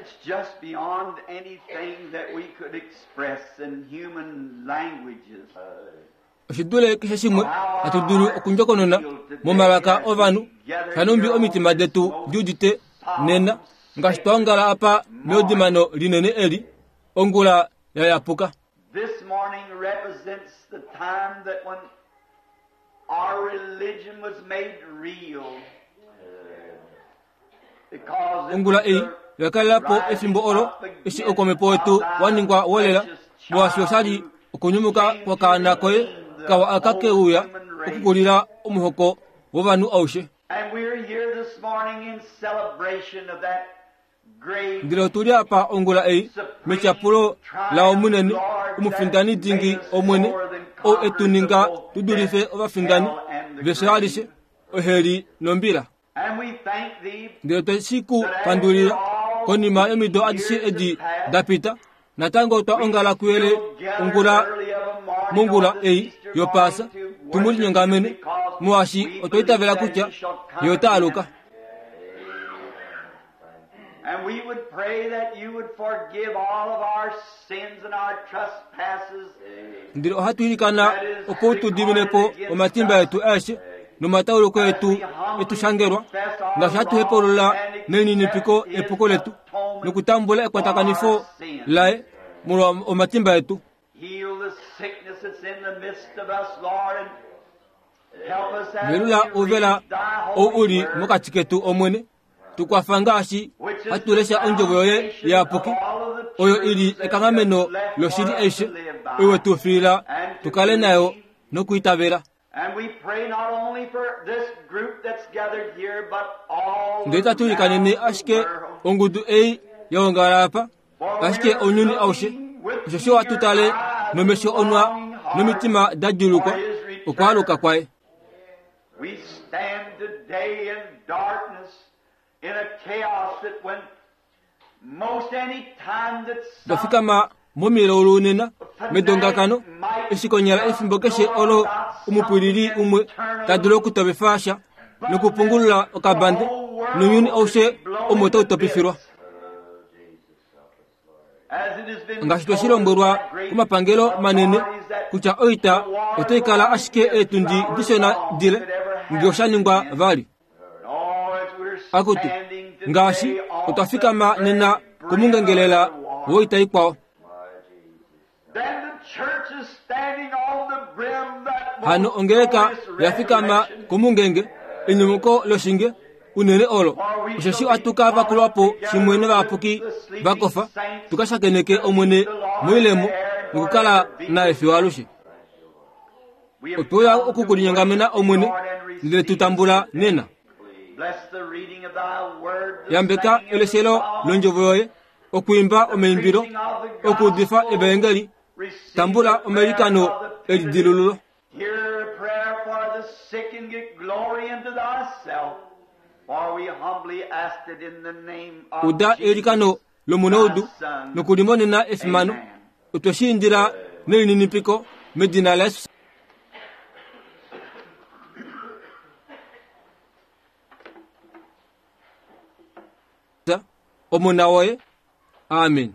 It's just beyond anything that we could express in human languages. Oshi dule keshe shimwe hatu dulu okundjokonona momalaka ovanhu, shanumbi omitima detu di udite nena, ngaashi twa ongala apa meudimano linene eli, ongula ya yapuka. This morning represents the time that when our religion was made real. Ongula ei oya kalela po efimbo olo eshi oukwamhepo wetu wa ningwa wolela, molwaashi osha li okunyumuka kwakaana koye kawa aka ke uya okukulila omuhoko wovanhu aushe. Ndele otu li apa ongula ei metyapulo lao munene, omufindani dingi Omwene, ou e tu ninga tu dulife ovafindani vefyo alishe, oheli nombila. Ndele twe shi ku pandulila konima yomido adishe edi da pita, natango otwa ongala kuyele ongula mongula ei yopaasa tu mu linyongamene, molwaashi otwa itavela kutya ye ota aluka. And we would pray that you would forgive all of our sins and our trespasses. Ndele ohatu ilikana opo u tu dimine po omatimba etu aeshe nomatauluko etu e tu shangelwa, ngaashi hatu hepaulula nelininipiko epuko letu nokutambula ekwatakanifo laye molwa omatimba etu. Heal the sickness that's in the midst of us, Lord, and help us as Velula we ouvela read thy ou u holy li word, mokati ketu, Omwene. Tu kwafa ngaashi which is hatu the lesha ondjovo yoye foundation iyapuki, of all of the oyo i li truths that ekanghameno you've left loshili for us aishe to live by. oyo we tu fiila And to tu kale nayo believe. nokuitavela. And we pray not only for this group that's gathered here, but all Ndele itatu ilikanene around the ashike world. ongudu ei ya ongala apa, For ashike we're ounyuni aushe, looking with osheshi ohatu tale eager eyes nomesho and onwa longing hearts nomitima da djuulukwa for his return. okwaaluka kwaye. We stand today in darkness, in a chaos that when most any time that Twa some fikama momilaulu nena, medongakano, eshi konyala efimbo keshe olo omupwilili umwe ta dulu okutovifa sha nokupungulula okabande, nounyuni aushe omo tau topifilwa. as it has been Ngaashi twe shi told lombwelwa by great komapangelo manene authorities that kutya oita the war otai kala ashike eetundi dishona dile ngee osha ningwa vali. Oh, as we're Akutu, standing today ngaashi on otwa the fikama nena very brink komungengelela of the war, woita ikwao. then the church is standing on the brim that Hano most ongeleka glorious ya fikama resurrection. komungenge enyumuko loshinge unene olo osheshi ohatu ka vakulwa po shimwe novayapuki va kofa tu ka shakeneke Omwene moilemo nokukala naye fiyo alushe. We have Otwe uya come to oku ku linyongamena worship Omwene thee, Lord, and ndele tu receive tambula nena. Bless the reading of thy word, the Yambeka singing of the eleshelo song, londjovo yoye, okwiimba the omaimbilo, preaching of the okuudifa gospel. evaengeli, Receive tambula the prayer omailikano of the penitent. elidilululo. Hear a prayer for the sick and get glory unto thyself. For we humbly ask it in the name of Uda Jesus, eilikano lomunaudu thy Son. nokulimonena efimano. Amen. Otwe shi indila nelininipiko medina laJesus. Omona woye. Amen.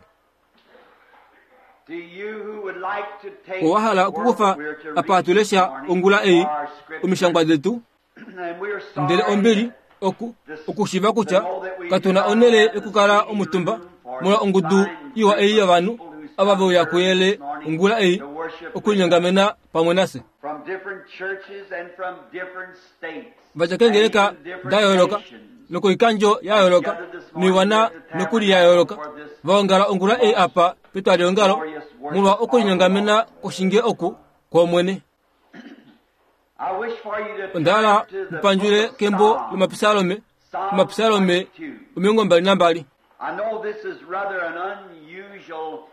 To you who would like to take Owa hala okukufa what we're to apa read hatu this lesha morning ongula ei our scripture. omishangwa detu And we're sorry ndele ombili oku okushiva kutya katu na onhele yokukala omutumba molwa ongudu iwa ei yovanhu ava ve uya kuyele ongula ei okulinyongamena pamwe nafye. from different churches and from different states Va dja keengeleka and even different da yooloka nations. nokoikandjo ya yooloka noiwana nokuli ya yooloka va ongala ongula ei apa petwaliongalo molwa okulinyongamena kwoshinge oku kwOmwene. I wish for you to Onda hala turn to the mupandjule book of kembo Psalms, lomapisalome, Psalm omapisalome 22. 22. I know this is rather an unusual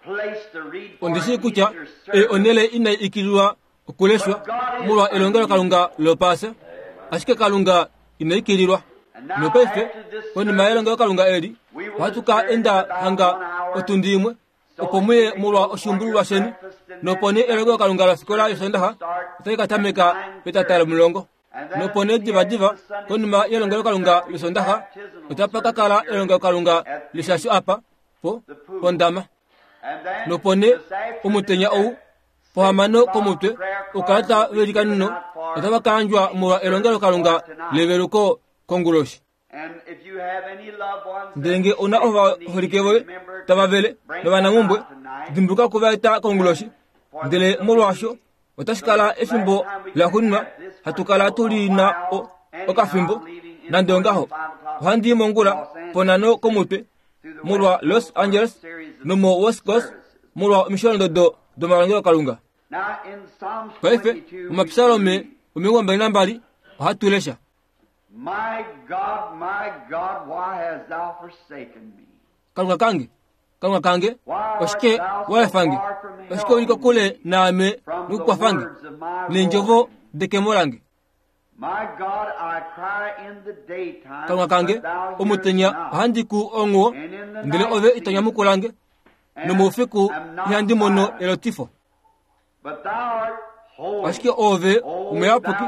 place to read for Ondi shii an kutya Easter ei service. onhele inai ikililwa okuleshwa molwa elongelokalunga lopaasa, ashike Kalunga ina ikililwa. And now Nopaife, after this konima service, yelongelokalunga eli, we will ohatu ka adjourn enda about hanga one hour otundi imwe, so opo that muye you may molwa go for your oshiumbululwa sheni, breakfast and nopo then nee elongelokalunga lofikola service will yOsoondaxa start otai ka at tameka petata 9:30. lomulongo. Nopo nee divadiva konima yelongelokalunga lOsoondaxa, otapa ka kala elongelokalunga leshasho apa po pondama. Nopo nee omutenya ou pohamano komutwe, oukalata veilikaneno otava ka yandjwa molwa elongelokalunga leveluko konguloshi. Ndele nge ou na ovaholike voye tava vele novanamhumbwe, dimbuluka oku va eta konguloshi. Ndele molwaasho otashi kala efimbo laxuuninwa hatu kala tu li na okafimbo. Nande ongaho, ohandi i mongula ponhano komutwe molwa Los Angeles nomo West Coast molwa omisholondodo domalongelokalunga. Paife, mOmapsalome 22 ohatu lesha. My God, my God, why hast thou forsaken me? Kalunga kange, Kalunga kange, oshike wa efa nge? Oshike u li kokule naame nokukwafa nge neendjovo dekemo lange? My God, I cry in the daytime, Kalunga kange, but thou hearest omutenya not. ohandi ku onghuwo, ndele ove ito nyamukula nge, nomoufiku ihandi mono elotifo. But thou art holy. Ashike oove omuyapuki,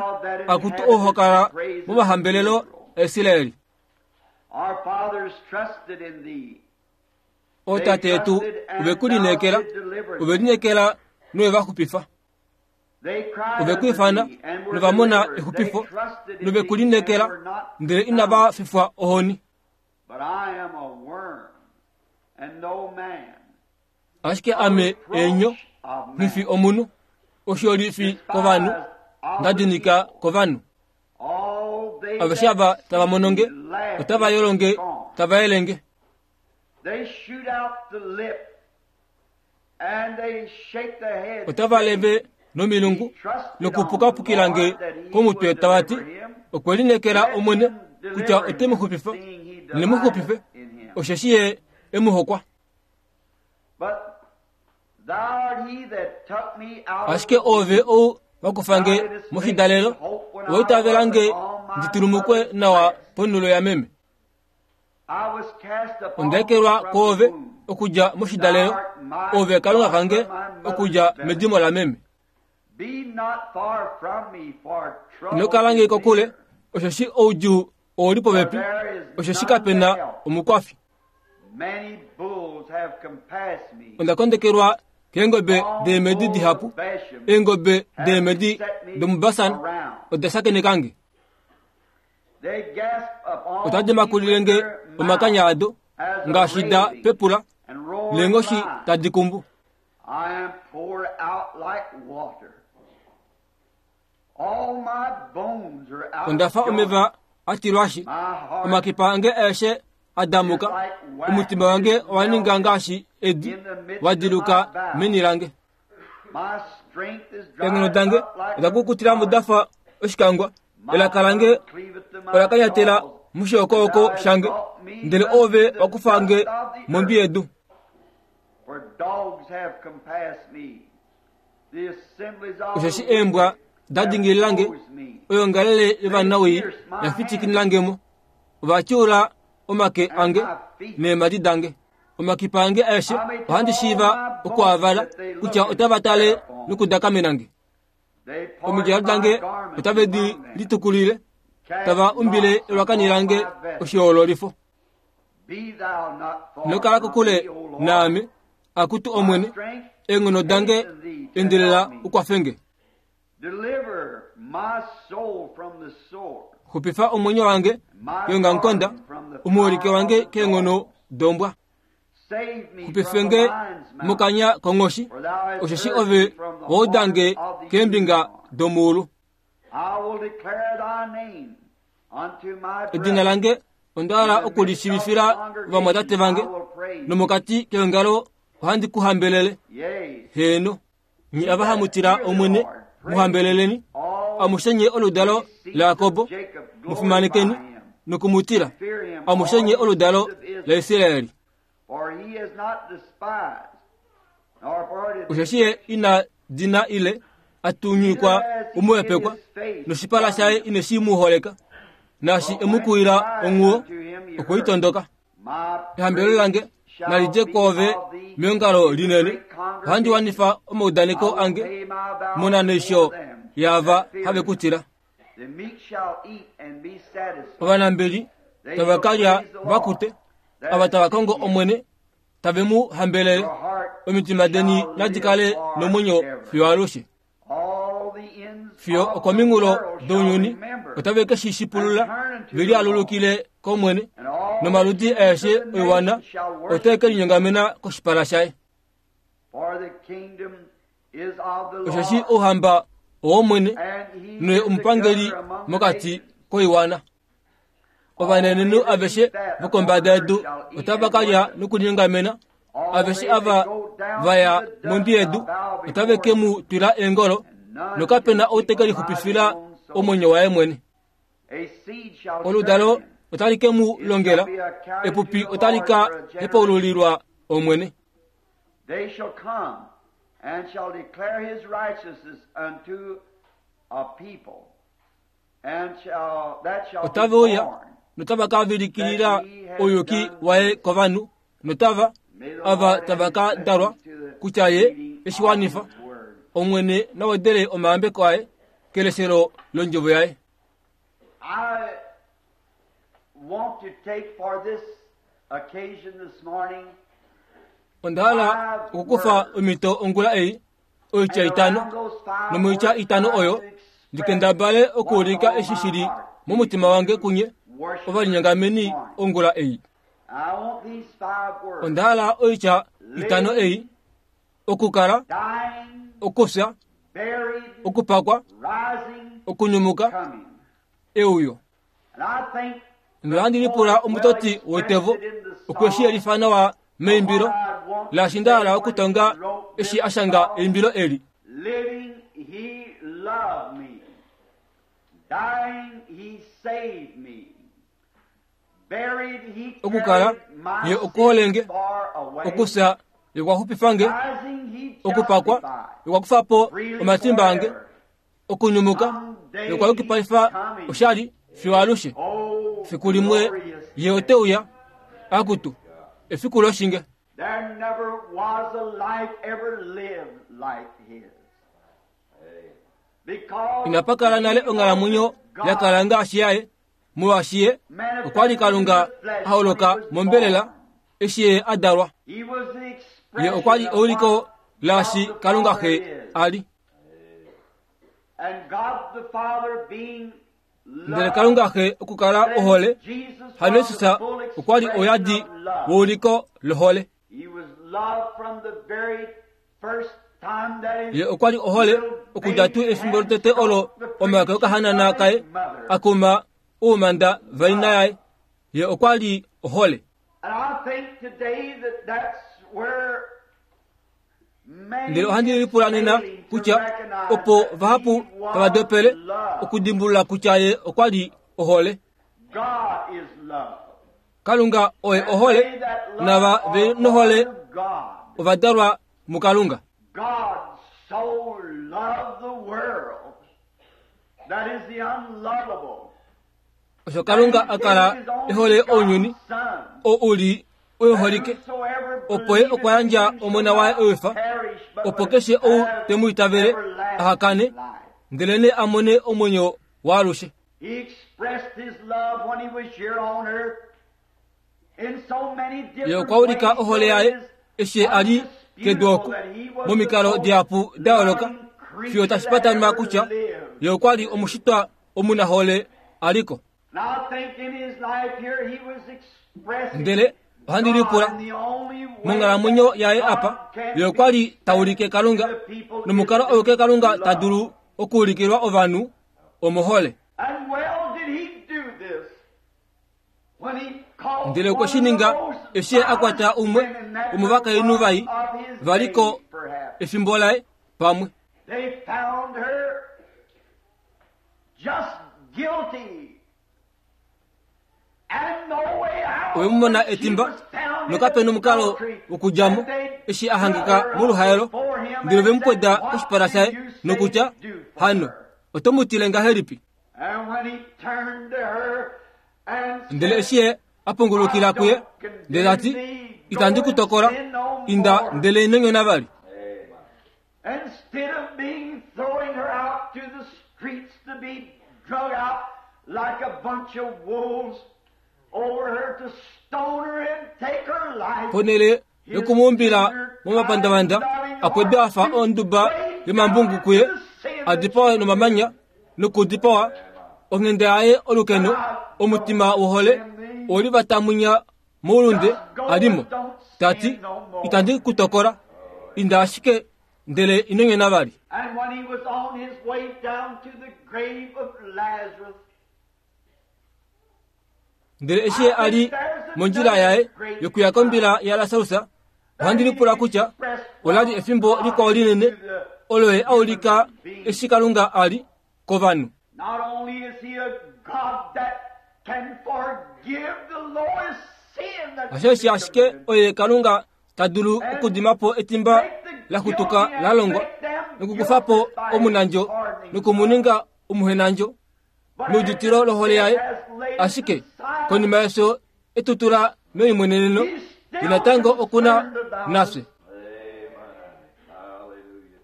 akutu ou ho kala momahambelelo aIsraeli. Our fathers trusted in thee. Ootate yetu ove ku lineekela, ove lineekela nowe va xupifa. They cried Ove ku unto ifana thee and were nova mona delivered. They exupifo, trusted in nove ku thee and lineekela, were not ndele inava fifwa ohoni. But I am a worm and no man. Ashike ame eenyo, nghi fi omunhu, osho li fi kovanhu, nda dinika kovanhu. All they Aveshe ava that tava mono nge, see me laugh otava yolo nge, and scorn. tava yele nge. They shoot out the lip and they shake their heads. Otava leve nomilungu nokupukapukila nge komutwe tava ti, Okwe lineekela Omwene kutya ote mu xupifa, ne mu xupife, osheshi ye e mu hokwa. But thou art he that took me out of Ashike the oove ou wa kufa nge moshidalelo, owa itavela nge ndi tulumukwe nawa ponhulo yameme. I was cast upon Onda ekelwa from the kwoove womb. okudja moshidalelo, oove Kalunga kange okudja medimo lameme. Be not far from me, for trouble Ino kala nge is kokule, near. osheshi oudjuu ou li popepi, osheshi kape na omukwafi. Many bulls have compassed me. Onda kondekelwa keengobe deemedi dihapu, eengobe deemedi domuBasan oda shakeneka nge. They gasp upon Otadi me makulile with nge their omakanya mouth ado, as a ngaashi da raving pepula, and roaring neenghoshi lion. tadi kumbu. I am poured out like water. All my bones are out Onda fa of joint. omeva a tilwashi, My heart omakipa ange aeshe a damuka, omutima wange owa ninga ngaashi edi, wa diluka meni lange. My strength is Eenghono dried dange up like oda kukutila mo da fa oshikangwa, My elaka lange tongue cleaveth to my ola kanyatela jaws. moshookooko shange, ndele ove wa kufa nge mondwi yedu. For dogs have compassed me. The assemblies of Osheshi the eembwa wicked da have dingilila nge, opposed me. oyongalele yovanawii ya fitikinila nge mo. Ova tyuula omake ange neemhadi dange. Omakipa ange aeshe ohandi shiiva okuavala kutya otava tale nokudakamena nge. They part Omidjalo my dange garments otave di among them. litukulile, Cast tava umbile lots elwakani upon lange my vestment. oshihoololifo. Be thou not far Ino kala from kokule me, O Lord. naame, akutu Omwene, My strength eenghono dange hasten thee to endelela help me. u kwafe nge. Deliver my soul from the sword, Xupifa omwenyo wange my keongamukonda, garden from the omuholike power wange of the keenghono dogs. dombwa. Save me Xupife from the nge lion's mouth, mokanya konghoshi, for thou hast osheshi heard ove me from the wa uda nge horn of the keembinga unicorn. domuulu. I will declare thy name unto my Edina brethren. lange onda hala In the oku li midst of the shiivifila ovamwatate congregation vange, I will praise thee. nomokati keongalo ohandi ku hambelele. Yea, Heeno, nye ava hamu tila Omwene, mu hambeleleni. all Amushe nye oludalo ye seeds laJakob, of Jacob, mu fimanekeni glorify him. noku mu tila. Fear him, Amushe all nye ye oludalo seeds of Israel. laIsraeli. For he is not despised, nor parted Osheshi ye ina dina ile a tunyikwa omuhepekwa, noshipala shaye ineshi mu holeka. Naashi e mu kuwila onghuwo, okwe i tondoka. My Ehambelelo lange praise shall nali dje be kwoove of thee meongalo in the linene. great Ohandi congregation. wanifa omaudaneko I will ange pay my vows monaneisho before them yaava that fear have him. ku tila. Ovanambeli tava ka lya va kute, ava tava kongo Omwene tave mu hambelele. Omitima deni nadi kale nomwenyo fiyo alushe. Fiyo okominghulo dounyuni otave ke shi shipulula ve lialulukile kOmwene, nomaludi aeshe oiwana otae ke linyongamena koshipala shaye. Osheshi ouhamba owOmwene, noye omupangeli mokati koiwana. Ovanenenhu aveshe vokombada yedu otava ka lya nokulinyongamena, aveshe ava va ya mondwi yedu otave ke mu twila eengolo, nokape na ou te ke lixupifila omwenyo waye mwene. Oludalo otali ke mu longela, epupi otali ka hepaululilwa Omwene. They shall come and shall declare his righteousness unto a people, and shall, that shall be Otave uya born. notava ka vilikilila ouyuki waye kovanhu notava May the ava Lord add tava his ka dalwa blessings to the kutya ye reading eshi of wanifa his word. Omwene na wedele omayambeko aye keleshelo londjovo yaye. I want to take for this occasion this morning Onda hala okukufa omhito ongula ei oitya itano, nomoitya itano oyo ndi kendabale okuulika eshi shi li momutima wange kunye ovalinyangameni ongula ei. I want these five words. Onda hala oitya itano ei, okukala, Dying, okufya, buried, okupakwa, rising, okunyumuka, coming. euyo. And I think Nohandi lipula omutoti wetevo okwe shi yelifa nawa meimbilo laashi nda hala okutonga eshi a shanga eimbilo eli. Living, he loved me. Dying, he saved me. Buried, he Okukala, carried my ye okuholenge, sins far away. Okufya ye okwa xupifa nge, Rising, he okupakwa justified. ye okwa kufa po Freely omatimba ange, forever. okunyumuka ye okwa yukipalifa oshali fiyo alushe. Oh, Fiku limwe glorious ye ote uya, akutu, efiku loshinge. There never was a life ever lived like his. Because Inapa kala nale onghalamwenyo ya kala ngaashi yaye, molwaashi ye okwa li Kalunga a holoka mombelela eshi ye a dalwa. He was the Ye expression okwa li of euliko what laashi God the Kalunga Father Xe is. a li. And God the Father being Ndele love, Kalunga Xe okukala then ohole, Jesus hano was Jesus the full okwa li expression oyadi of love. weuliko lohole. He was love from the very first time that his Ye okwa li ohole okudja tuu efimbo lotete olo omake okahanana kaye a kuma oumanda vaina yaye. Ye okwa li ohole. And I think today that that's where many Ndele ohandi lipula nena is failing to kutya recognize opo that vahapu he was tava dopele love. okudimbulula kutya ye okwa li ohole. God is love. Kalunga oye And ohole, they that love nava are ve nohole born of God. ova dalwa muKalunga. God so loved the world that is the unlovable. Osho Kalunga a kala e hole ounyuni, oo u li uholike, opo ye okwa yandja omona waye ewifa, opo keshe ou te mu itavele aha kane, ndelenee a mone omwenyo waalushe. He expressed his love when he was here on earth in so many Ye different okwa ulika ways ohole yaye eshi ye a li kedu oku momikalo dihapu da yooloka fiyo tashi patanwa kutya ye okwa li omushitwa omunahole a li ko. And I think in his life here he was expressing Ndele ohandi lipula God in the only way monghalamwenyo yaye apa ye okwa li ta ulike Kalunga nomukalo auke Kalunga ta dulu okuulikilwa ovanhu omohole. And well did he do this when he called Ndele okwe shi one of ninga the most eshi ye a kwata umwe violent women that womovakainhu vai of his va li ko days, perhaps. efimbo laye pamwe. They found her just guilty and no way out. Oye mu mona She etimba was found in nokape nomukalo adultery, wokudja mo and they eshi a hangika drew her up moluhaelo before him ndele ve and mu pweda said, "What koshipala do shaye you say nokutya do for hano her?" oto mu tile ngahelipi? And when he turned to her and said, Ndele eshi ye a pungulukila kuye ndele ta ti itandi ku tokola inda ndele ino nyona vali. Instead of being throwing her out to the streets to be drug out like a bunch of wolves over her to stone her and take her life. Ponele yokumuumbila momapandavanda a pwedwa a fa onduba yomambungu kuye, a dipawe nomamanya nokudipawa. Onghenda yaye olukeno, omutima wohole oli vatamunya moulunde alimo. Tati, itandi ku tokola, inda ashike ndele ino nyona vali. And when he was on his way down to the grave of Lazarus, Ndele eshi ye a li mondjila yaye yokuya kombila yaLasarus, ohandi lipula kutya ola li efimbo likwao linene olo ye a ulika eshi Kalunga a li kovanhu. Not only is he a God that can forgive the lowest sin that Hasheshi ashike oye Kalunga ta dulu okudima po etimba la xutuka la longwa nokukufa po omunandjo nokumuninga omuhenandjo meuditilo lohole yaye, ashike konima yefyo etutula meimweneneno, ye natango oku na nafye.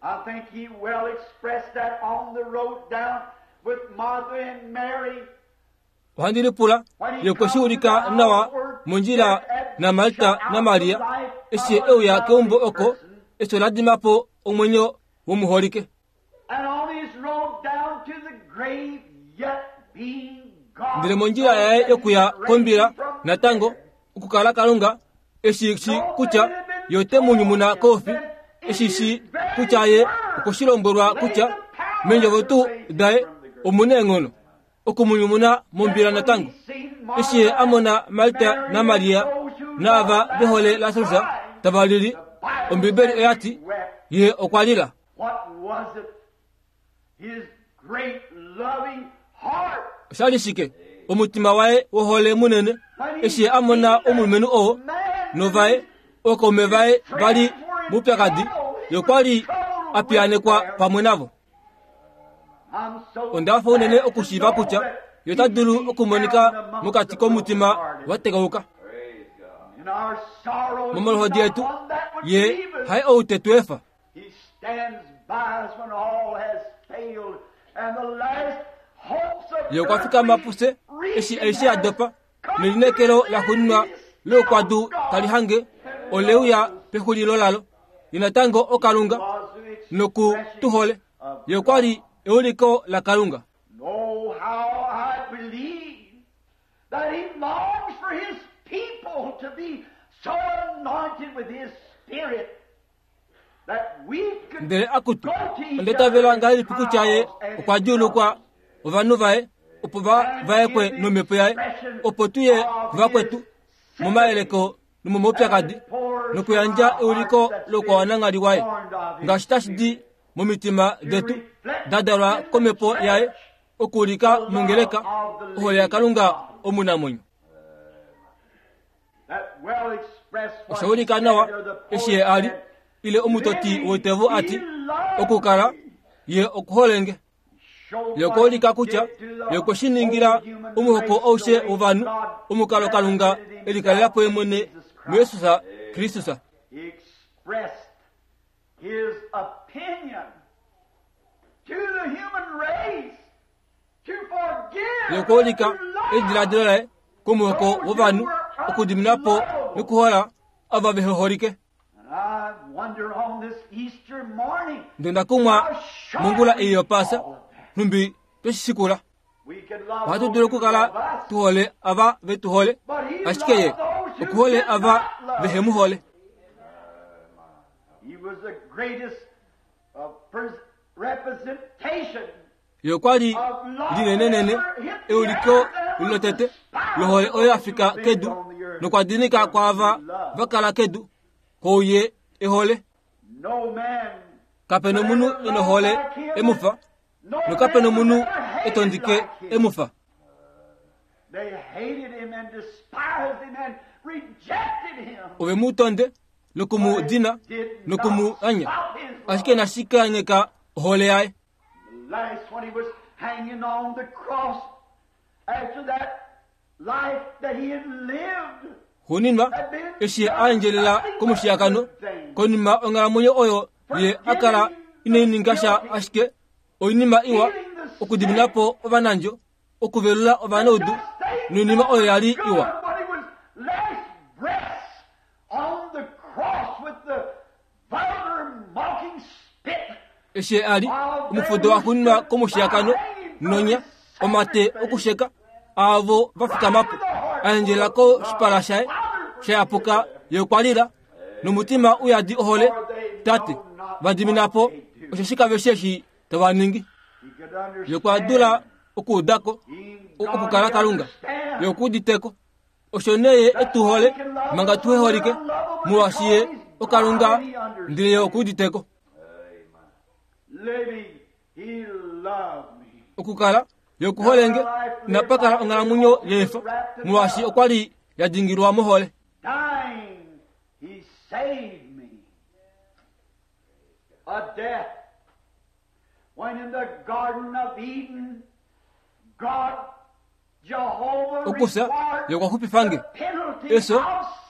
I think he well expressed that on the road down with Martha and Mary. Ohandi lipula ye okwe shi ulika nawa mondjila naMarta naMaria eshi ye e uya keumbo oko efyo la dima po omwenyo womuholike. And on his road down to the grave, yet being God, Ndele mondjila yaye yokuya kombila natango okukala Kalunga eshi shi kutya ye ote mu nyumuna koufi, eshi shi kutya ye okwe shi lombwelwa kutya meendjovo tuu daye omu na eenghono oku mu nyumuna mombila natango. Eshi ye a mona Marta naMaria naava ve hole Lasarus tava lili, Ombibeli oya ti ye okwa lila. What was it? His great loving heart. Osha li shike? Omutima waye wohole munene eshi ye a mona omulumenhu oo novaye ookaume vaye va li moupyakadi, ye okwa li a piyaanekwa pamwe navo. I'm so Onda hafa unene okushiiva kutya ye ota dulu okumonika mokati komutima wa tekauka. In our sorrows, Momaluhodi he's etu, not one that would ye leave us. haye ou te tu efa. He stands by us when all has failed and the last hopes of Ye okwa fikama pufye eshi aishe ya dopa nelineekelo la xuuninwa loukwadu tali hange ole uya pexulilo lalo. Ye natango oKalunga noku tu hole. Ye okwa li euliko laKalunga. Oh, how I believe that he longs for his people to be so anointed with his spirit that we could Ndele akutu, go to each onda itavela other in ngahelipi kutya ye trials and okwa in djuulukwa ovanhu vaye opo va vaekwe nomhepo yaye, opo tu ye kuvakwetu momayeleko nomomaupyakadi nokuyandja euliko loukwawananghali waye ngaashi tashi di momitima detu da dalwa komhepo yaye okuulika mongeleka ohole yaKalunga omunamwenyo. That well expressed what Osha ulika nawa eshi ye a li ile omutoti woitevo a ti okukala ye okuholenge. Ye okwa ulika kutya ye okwe shi ningila omuhoko aushe wovanhu omukalo Kalunga e likalela po ye mwene muJesus Kristus. He expressed his opinion to the human race to forgive Ye okwa ulika and to love. ediladilo laye komuhoko wovanhu okudimina po nokuhola ava vehe holike. And I wonder on this Easter morning, Ndele onda kumwa mongula ei yOpaasa, nhumbi twe shi shikula. we can love Ohatu those dulu who okukala love us, tu hole ava ve tu hole, but he ashike ye loved those who okuhole did ava not love. vehe mu hole. He was the greatest representation Ye okwa li of love linenenene ever hit the euliko earth and was lotete despised lohole oyo ya fika those who kedu lived on the earth. nokwa dinika kwaava va kala kedu kouye ehole. No man Kape nomunhu e nohole e mu fa, no nokape man nomunhu was ever e tondike hated like him. e mu fa. They hated him and despised him and rejected him. Ove mu tonde noku mu dina noku mu anya, ashike inashi kanyeka ohole yaye. Last when he was hanging on the cross, after that life that he had lived, Xuuninwa, eshi ye a endjelela komushiyakano, konima onghalamwenyo oyo ye a kala inai ninga sha ashike oinima iwa, okudimina po ovanandjo, okuvelula ovanaudu noinima oyo ya li iwa. Eshi a li omufudo wa xuuninwa komushiyakano nonya, omate okusheka aavo va fikama po, a endjelela koshipala shaye sha yapuka, ye okwa lila nomutima u yadi ohole, Tate, va dimina po, osheshi kave shii eshi tava ningi. Ye okwa dula okuuda ko okukala Kalunga. Ye oku udite ko. Osho nee ye e tu hole manga tuhe holike, molwaashi ye oKalunga ndele ye oku udite ko. Okukala ye oku hole nge, inapa kala onghalamwenyo yeefo, molwaashi okwa li ya dingilwa mohole. A death. When in the Garden of Eden, God, Jehovah, Okufya required ye okwa xupifa nge. the penalty Eso, of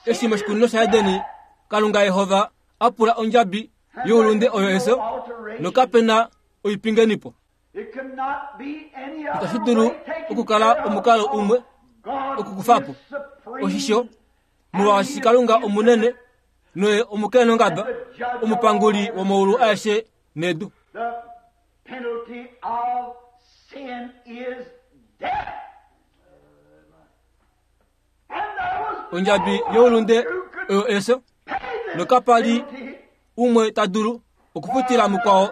eshi sin moshikunino is shaEdeni, death. Kalunga Yehova a pula ondjabi And youlunde there oyo is eso, no alteration. nokape na oipingenipo. It could not be any Itashi other dulu way taken okukala care of omukalo umwe God okukufa po. is supreme Oshisho, molwaashi Kalunga omunene noye omukenongaba, omupanguli womaulu aeshe nedu. The penalty of sin is death. And there was Ondjabi no one youlunde who could oyo eso, pay this nokapa li penalty umwe ta dulu okufutila mukwao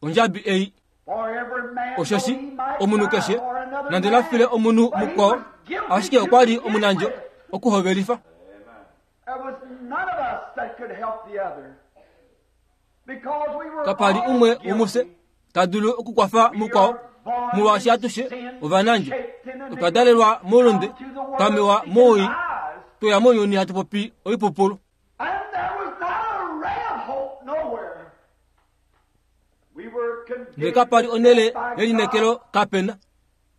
ondjabi ei. for every man, though Osheshi he might omunhu die keshe for another nande la file man, omunhu but he mukwao, was guilty ashike to okwa li begin omunandjo with. okuhovelifa. There was none of us that could help the other. Because we were Kapa li all umwe womufye guilty. ta dulu okukwafa We mukwao, are born molwaashi in atushe sin, ovanandjo. shaped in Otwa iniquity, dalelwa moulunde, come to the world twa mewa speaking mowii, lies. tweya mounyuni hatu popi oipupulu. And there was not a ray of hope nowhere. We were Ndele condemned kapa li to onhele death by yelineekelo God. kapena.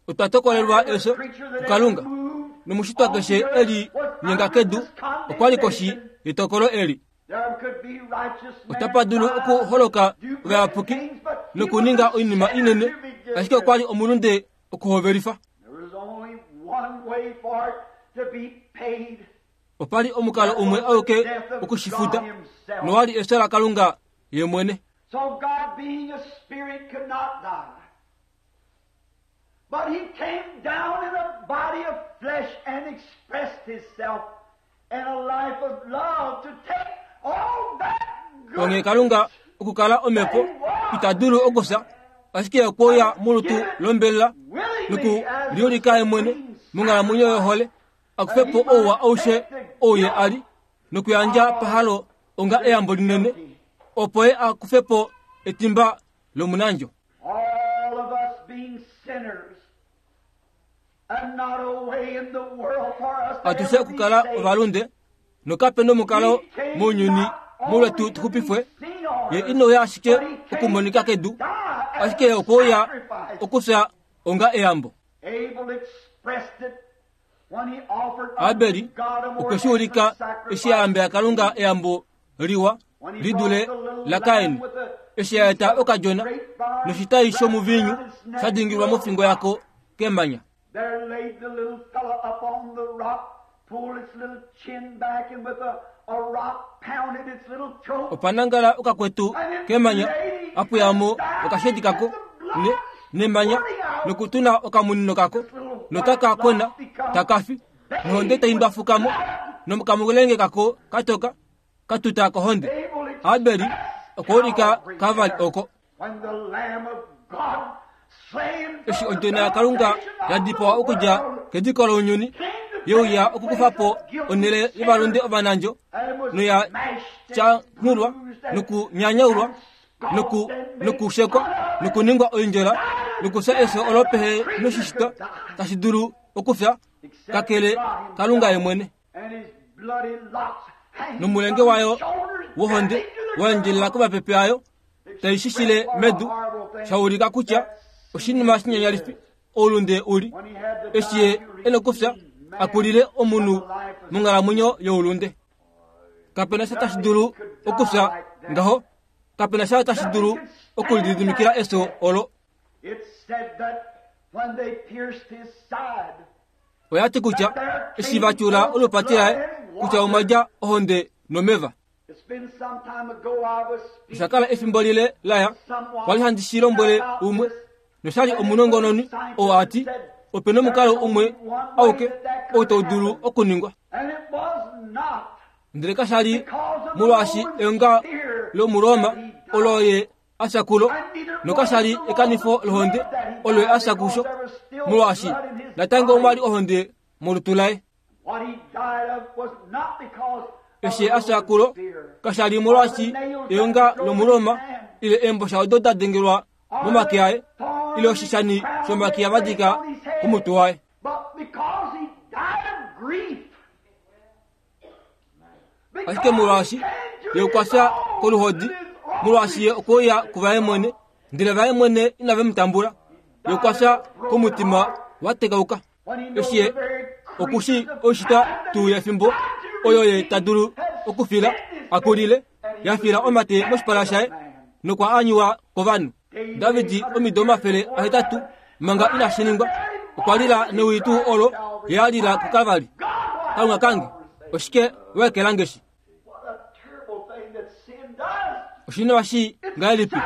Otwa tokolelwa Every efyo creature that ever kuKalunga. moved Nomushitwa on the keshe earth e li was nyenga under kedu this okwa li koshi condemnation. yetokolo eli. There could be righteous Otapa dulu men okuholoka do great ovayapuki things, but he was nokuninga a oinima sinner inene, to begin ashike okwa with. li omulunde okuhovelifa. There was only one way for it to be paid. Opa li omukalo That umwe was the auke death of okushifuta, God Himself. nowa li efyo laKalunga ye mwene. So God, being a spirit, could not die. But He came down in a body of flesh and expressed Himself in a life of love to take all that Onghee goodness Kalunga okukala omhepo that He was ita dulu okufya, ashike okwe uya molutu give it lombelela willingly as a nokuliulika ye mwene supreme monghalamwenyo yohole, sacrifice a that kufe He po ouwa might aushe take the ou ye guilt a li, nokuyandja of pahalo onga the eyambo linene, guilty. opo ye a kufe po etimba lomunandjo. All of us being sinners, and not a way in the world for us to Atushe ever be okukala saved. ovalunde, nokape nomukalo He came mounyuni not molwetu only tu to be xupifwe, seen on ye earth, inouya ashike but he came okumonika to kedu, die as ashike a okwe uya sacrifice. okufya onga eyambo. Abel expressed it when he offered unto Abeli God a more okwe shi ulika excellent eshi a sacrifice yambela than Kalunga Cain. eyambo liwa When he li brought dule the little laKain, lamb with a eshi a piece eta of okadjona grapevine noshitai wrapped shomuviinyu around its sha neck dingilwa to a mofingo rock. yako kemanya. There laid the little fella up on the rock, pulled its little chin back, and with a rock pounded its little throat. Opa nangala okakwetu And it kemanya, laid apuyamo and died, okashedi kako and the blood nemanya squirting out. nokutuna okamunino kako, This little white notaka kwena lock become takafi, nohonde bathed tai with ndwafukamo, blood. nokamulenge kako katoka katuta kohonde. Abel Abeli expressed okwa ulika Calvary Kavali there oko. when the Lamb of God slain Eshi from the odjona yaKalunga foundation ya of the dipawa okudja world kediko lounyuni, came to ye take uya the okukufa place po of guilty onhele yovalunde sinners ovanandjo, and was noya smashed and tyanghulwa bruised and, nokunyanyaulwa and scoffed and made nokushekwa fun of and nokuningwa oindjola died a nokufya death efyo that olo no pehe creature noshishitwa could die tashi dulu okufya except kakele God Kalunga ye Himself mwene. and His bloody locks hanging Nomulenge from His wayo shoulders, wohonde dripping to the wa endjelela ground, komapepe ayo tai expressed shishile what a medu, horrible sha thing ulika kutya that oshinima sin shinyanyalifi is. oulunde u li. When he had to Eshi die ye to e nokufya redeem a man kulile from omunhu the life of monghalamwenyo sin. youlunde. Kapena sha tashi dulu Nothing could die okufya like that. ngaho, kapena sha tashi Nothing dulu could stand okulididimikila that efyo death. olo. Oya ti kutya eshi va tyula olupati laye kutya omwa dja ohonde nomeva. Osha kala efimbo lile laya kwali handi shi lombwele umwe noshali omunongononi oo a ti ope nomukalo umwe auke ou tau dulu okuningwa. Ndele kasha li molwaashi eonga lOmuroma olo ye a fya kulo, nokasha li ekanifo lohonde olo ye a fya kusho, molwaashi natango omwa li ohonde molutu laye. Eshi ye a fya kulo, kasha li molwaashi eonga lOmuroma ile eembosha odo da dengelwa momake aye ile oshishani shomakiya va dika komutwe waye. Ashike molwaashi ye okwa fya koluhodi, molwaashi ye okwe uya kuvaye mwene, ndele vaye mwene inave mu tambula, ye okwa fya komutima wa tekauka. Eshi ye oku shii oishitwa tuu yefimbo oyo ye ta dulu okufila, a kulile, ya fila omate moshipala shaye nokwa anyuwa kovanhu. David omido 800 manga inashi ningwa okwa lila newi tuu olo ye a lila kuKalvari. Kalunga kange, oshike wa ekela nge shi? Oshinima shii ngahelipi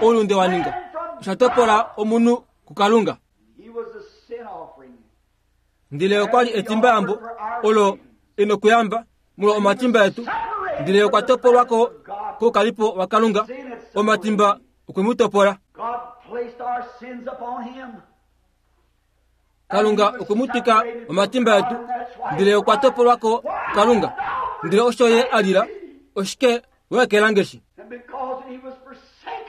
oulunde wa ninga? Osha topola omunhu kuKalunga. Ndele okwa li etimbayambo olo e nokuyamba molwa omatimba etu, ndele okwa topolwa ko koukalipo waKalunga. Omatimba okwe mu topola. Kalunga okwe mu twika omatimba etu, ndele okwa topolwa ko kuKalunga. Ndele osho ye a lila, oshike wa ekela nge shi?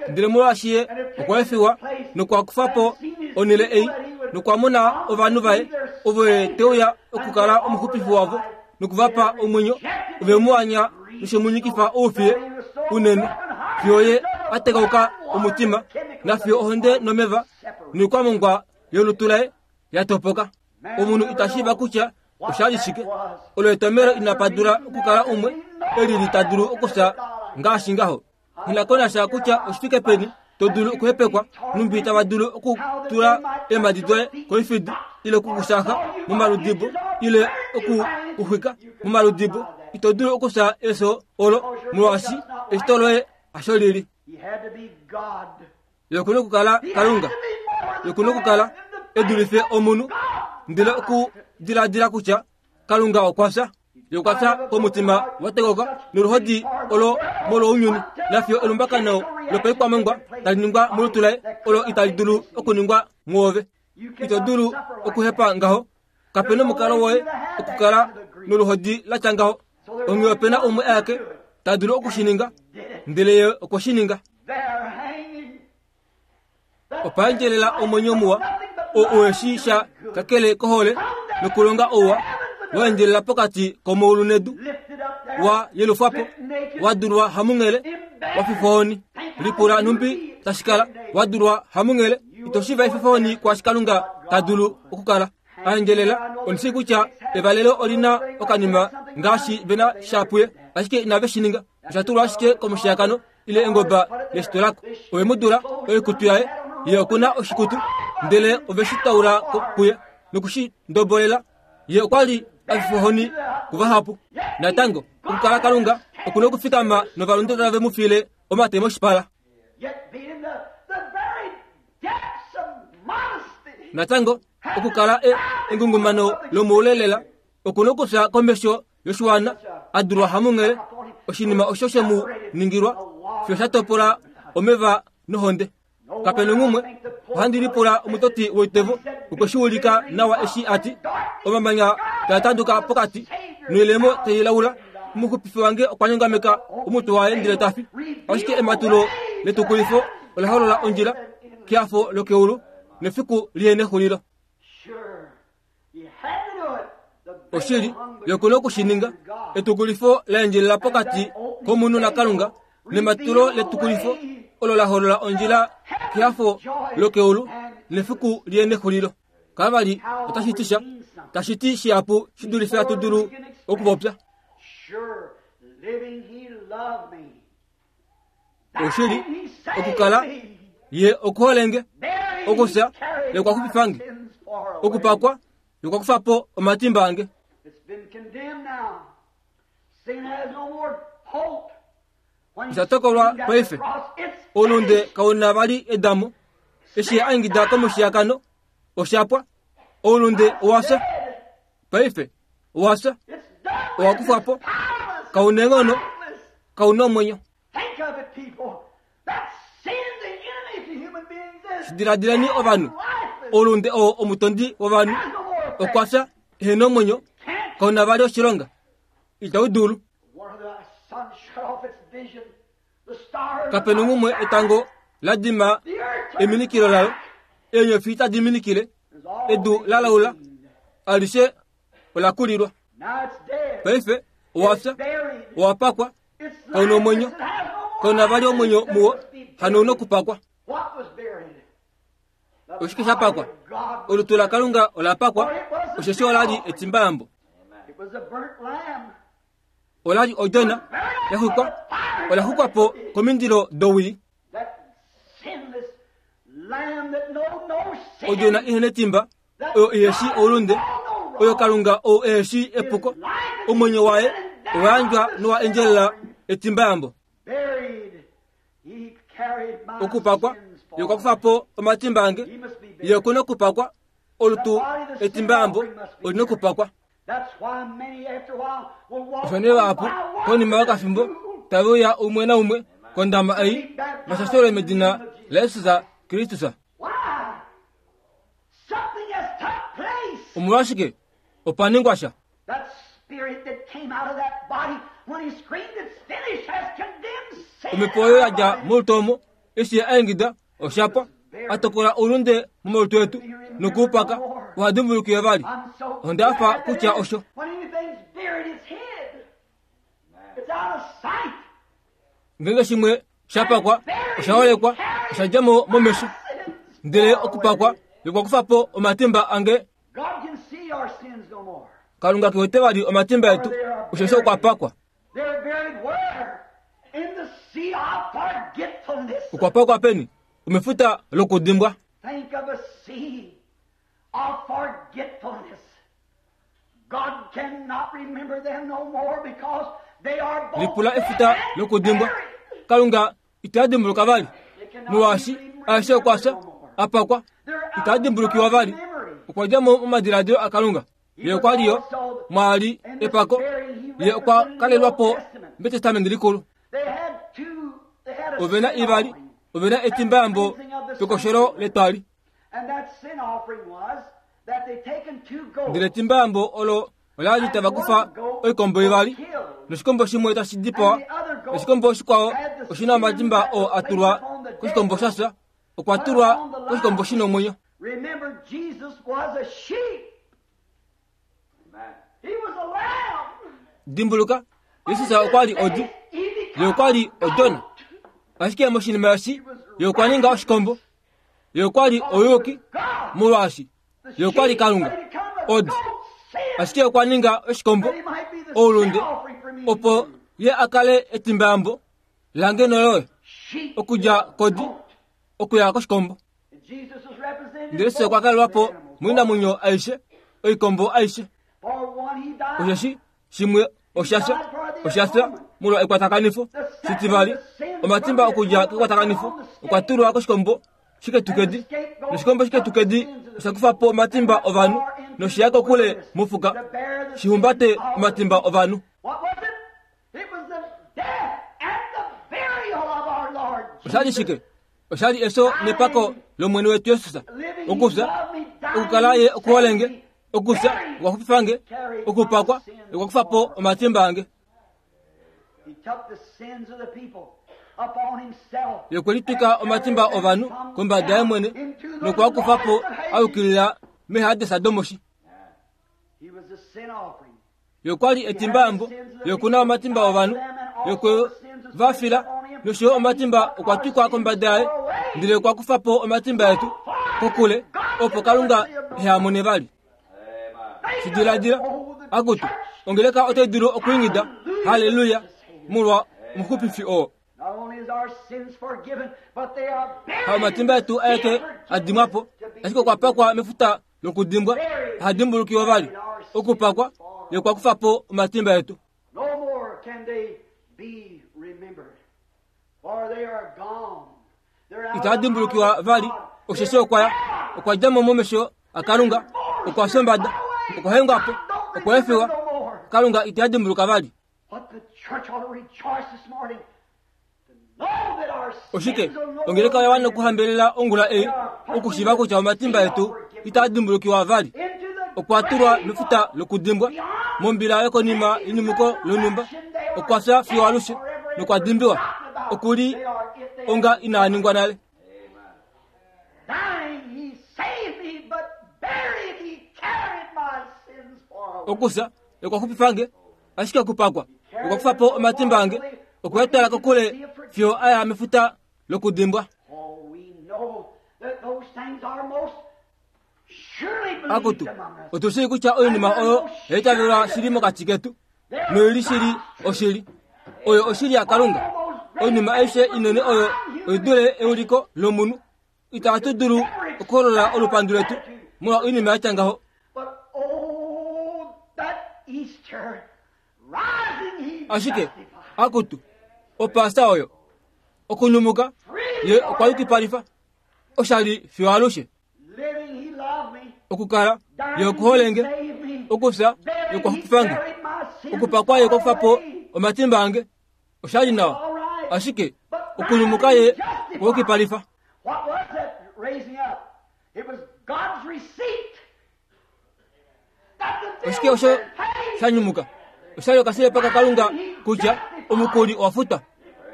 Ndele molwaashi ye okwa efiwa nokwa kufa po onhele ei nokwa mona ovanhu vaye ovo ye te uya okukala omuxupifi wavo noku va pa omwenyo, ove mu anya noshe mu nyikifa oufiye unene fiyo ye a tekauka omutima nafiyo ohonde nomeva noikwamongwa yolutu laye ya topoka. Omunhu ita shiiva kutya osha li shike. Olo etomhelo inapa dula okukala umwe e lili ta dulu okufya ngaashi ngaho. Nghi ko nasha kutya oshi fike peni to dulu okuhepekwa, nhumbi tava dulu okutula eemhadi doye koifidi ile oku ku shaaxa momaludibo ile oku ku xwika momaludibo, ito dulu okufya efyo olo molwaashi eshito loye hasho lili. Ye oku na okukala Kalunga. Ye oku na okukala e dulife omunhu, ndele okudiladila kutya Kalunga okwa fya. Ye okwa fya komutima wa tekoka noluhodi olo molwounyuni, nafiyo elumbakano lopaikwamongwa tali ningwa molutu laye olo itali dulu okuningwa mwoove. Ito dulu okuhepa ngaho. Kape nomukalo woye okukala noluhodi la tya ngaho. Onghee ope na umwe aeke ta dulu oku shi ninga, ndele ye okwe shi ninga. Opa endjelela omwenyo muwa, oo uhe shii sha kakele kohole nokulonga ouwa, wa endjelela pokati komaulu nedu, wa yelufwa po, wa dulwa hamunghele, wa fifwa ohoni. Lipula nhumbi tashi kala, wa dulwa hamunghele, ito shiiva efifo-ohoni kwaashi Kalunga ta dulu okukala. A endjelela, ondi shii kutya evalelo oli na okanima ngaashi ve na sha puye, ashike inave shi ninga. Osha tulwa ashike komushiyakano ile engoba leshi tulako. Ove mu dula oikutu yaye, ye oku na oshikutu, ndele ove shi taula ko kuye noku shi ndobolela. Ye okwa li a fifwa ohoni kuvahapu. Natango, okukala Kalunga oku na okufikama novalunde tave mu fiile omate moshipala. Natango, okukala e engungumano lomoule lela oku na okufya komesho yoshiwana a dulwa hamunghele, oshinima osho she mu ningilwa fiyo sha topola omeva nohonde. Kape nonghumwe, ohandi lipula omutoti woitevo okwe shi ulika nawa eshi a ti, Omamanya taa tanduka pokati noilemo tai laula. Omuxupifi wange okwa nyongameka omutwe waye ndele ta fi. Ashike ematulo letukulifo ola holola ondjila kehafo lokeulu nefiku lihe nexulilo. Oshili, ye oku na oku shi ninga. Etukulifo la endjelela pokati komunhu naKalunga nematulo letukulifo olo la holola ondjila kehafo lokeulu nefiku lihe nexulilo. Kavali otashi ti sha, tashi ti shihapu shi dulife hatu dulu okupopya. Oshili, okukala ye okuhole nge. Okufya ye okwa xupifa nge. Okupakwa ye okwa kufa po omatimba ange. Osha tokolwa paife. Oulunde kau na vali edamo. Eshi a ingida komushiyakano, osha pwa. Oulunde owa fya. Paife owa fya. Owa kufwa po. Kau na eenghono. Kau na omwenyo. Diladileni ovanhu. Oulunde oo omutondi wovanhu. Okwa fya, ehe na omwenyo. Kau na vali oshilonga. Itau dulu. Kape na umwe etango la dima eminikilo lalo, eenyofi tadi minikile, edu la laula, alishe ola kulilwa. Paife owa fya, owa pakwa, kau na omwenyo, kau na vali omwenyo muwo, hano ou na okupakwa. Oshike sha pakwa? Olutu laKalunga ola pakwa, osheshi ola li etimbayambo. Ola li odjona ya xwikwa, ola xwikwa po komindilo dowii. Odjona ihe netimba, oyo ihe shii oulunde, oyo Kalunga ou ehe shii epuko, omwenyo waye owa yandjwa nowa endjelela etimbayambo. Okupakwa, ye okwa kufa po omatimba ange, ye oku na okupakwa, olutu etimbayambo oli na okupakwa. Osho nee vahapu konima yokafimbo tave uya umwe naumwe kondama ei vashashelwe medina laJesus Kristus. Omolwashike opa ningwa sha? Omhepo oyo ya dja molutu omo eshi a ingida osha pwa, a tokola oulunde momalutu etu noku u paka, oha dimbulukiwe vali. Onda hafa kutya osho. Ngeenge shimwe sha pakwa, osha holekwa, osha dja mo momesho. Ndele okupakwa okwa kufa po omatimba ange. Kalunga ke wete vali omatimba etu, osheshi okwa pakwa. Okwa pakwa peni? Omefuta lokudimbwa. Lipula efuta lokudimbwa. Kalunga ita dimbuluka vali, molwaashi aeshe okwa fya, a pakwa, ita dimbulukiwa vali. Okwa dja mo momadiladilo aKalunga. Ye okwa li yo mwaali epako. Ye okwa kalelwa po mEtestamenti Likulu. Ove na ivali, ove na etimbayambo pekosholo letwali. Ndele etimbayambo olo ola li tava kufa oikombo ivali, noshikombo shimwe tashi dipawa, noshikombo shikwao oshi na omatimba oo a tulwa koshikombo sha fya, okwa tulwa koshikombo shi na omwenyo. Remember, Jesus was a sheep. He was a lamb. Dimbuluka, Jesus okwa li odi, ye okwa li odona. Ashike moshinima eshi, ye okwa ninga oshikombo. Ye okwa li ouyuki, molwaashi ye okwa li Kalunga, odi. Ashike okwa ninga oshikombo, oulunde, opo ye a kale etimbayambo lange noloye, okudja kodi okuya koshikombo. Ndele Jesus okwa kalelwa po moinamwenyo aishe, oikombo aishe. Osheshi shimwe osha fya, osha fya molwa ekwatakanifo. Shitivali, omatimba okudja kekwatakanifo okwa tulwa koshikombo shiketukedi, noshikombo shiketukedi osha kufa po omatimba ovanhu noshe ya kokule mofuka shi humbate omatimba ovanhu. Osha li shike? Osha li efyo nepako lOmwene wetu Jesus. Okufya, okukala ye okuhole nge, okufya okwa xupifa nge, okupakwa okwa kufa po omatimba ange. Ye okwe litwika omatimba ovanhu kombada ye mwene nokwa kufa po a yukilila mehadesa domoshi. Ye okwa li etimbayambo, ye oku na omatimba ovanhu, ye okwe va fila, nosho yo omatimba okwa twikwa kombada yaye, ndele okwa kufa po omatimba etu kokule, opo Kalunga ehe a mone vali. Shi diladila, akutu, ongeleka otai dulu okwiingida, Halleluya, molwa omuxupifi oo. Haomatimba etu aeke a dimwa po, ashike okwa pakwa mefuta lokudimbwa, aha dimbulukiwa vali. Okupakwa ye okwa kufa po omatimba etu. Itaa dimbulukiwa vali, osheshi okwa ya, okwa dja mo momesho aKalunga, okwa fya ombada, okwa hengwa po, okwa efiwa. Kalunga ite dimbuluka vali. Oshike ongeleka oya wana okuhambelela ongula ei okushiiva kutya omatimba etu itaa dimbulukiwa vali. Okwa tulwa mefuta lokudimbwa, mombila yokonima yenyumuko lonhumba. Okwa fya fiyo alushe nokwa dimbiwa. Oku li onga inaa ningwa nale. Okufya okwa xupifa nge, ashike okupakwa okwa kufa po omatimba ange, okwe a twala kokule fiyo a ya mefuta lokudimbwa. Akutu, otu shii kutya oinima oyo oya itavelwa shili mokati ketu, noi li shili oshili. Oyo oshili yaKalunga. Oinima aishe inene oyo oi dule euliko lomunhu. Itatu dulu okuholola olupandu letu molwa oinima ya tya ngaho. Ashike, akutu, Opaasa oyo, okunyumuka, ye okwa yukipalifa oshali fiyo alushe. Okukala, ye okuhole nge. Okufya, ye okwa xupifa nge. Okupakwa, ye okwa kufa po omatimba ange. Osha li nawa, ashike okunyumuka ye okwa yukipalifa. Oshike osho sha nyumuka? Osha li okasilepa kaKalunga kutya omukuli owa futwa.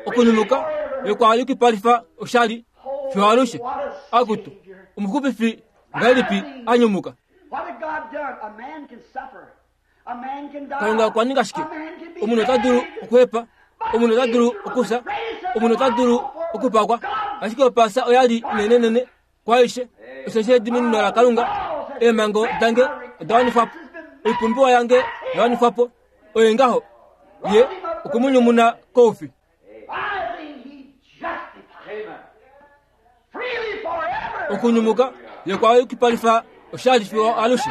Okunyumuka ye yukipalifa oshali fiyo alushe. Akutu, omuxupifi ngahelipi a nyumuka? Kalunga okwa ninga shike? Omunhu ota dulu okuhepa, omunhu ota dulu okufya, omunhu ota dulu okupakwa, ashike Opaasa oya li inenenene Kwaaishe, osheshi ediminino laKalunga, eemhango dange oda wanifwa po, oipumbiwa yange oya wanifwa po. Oye ngaho, ye okwe mu nyumuna koufi. Okunyumuka ye kwa yukipalifa oshali fiyo alushe.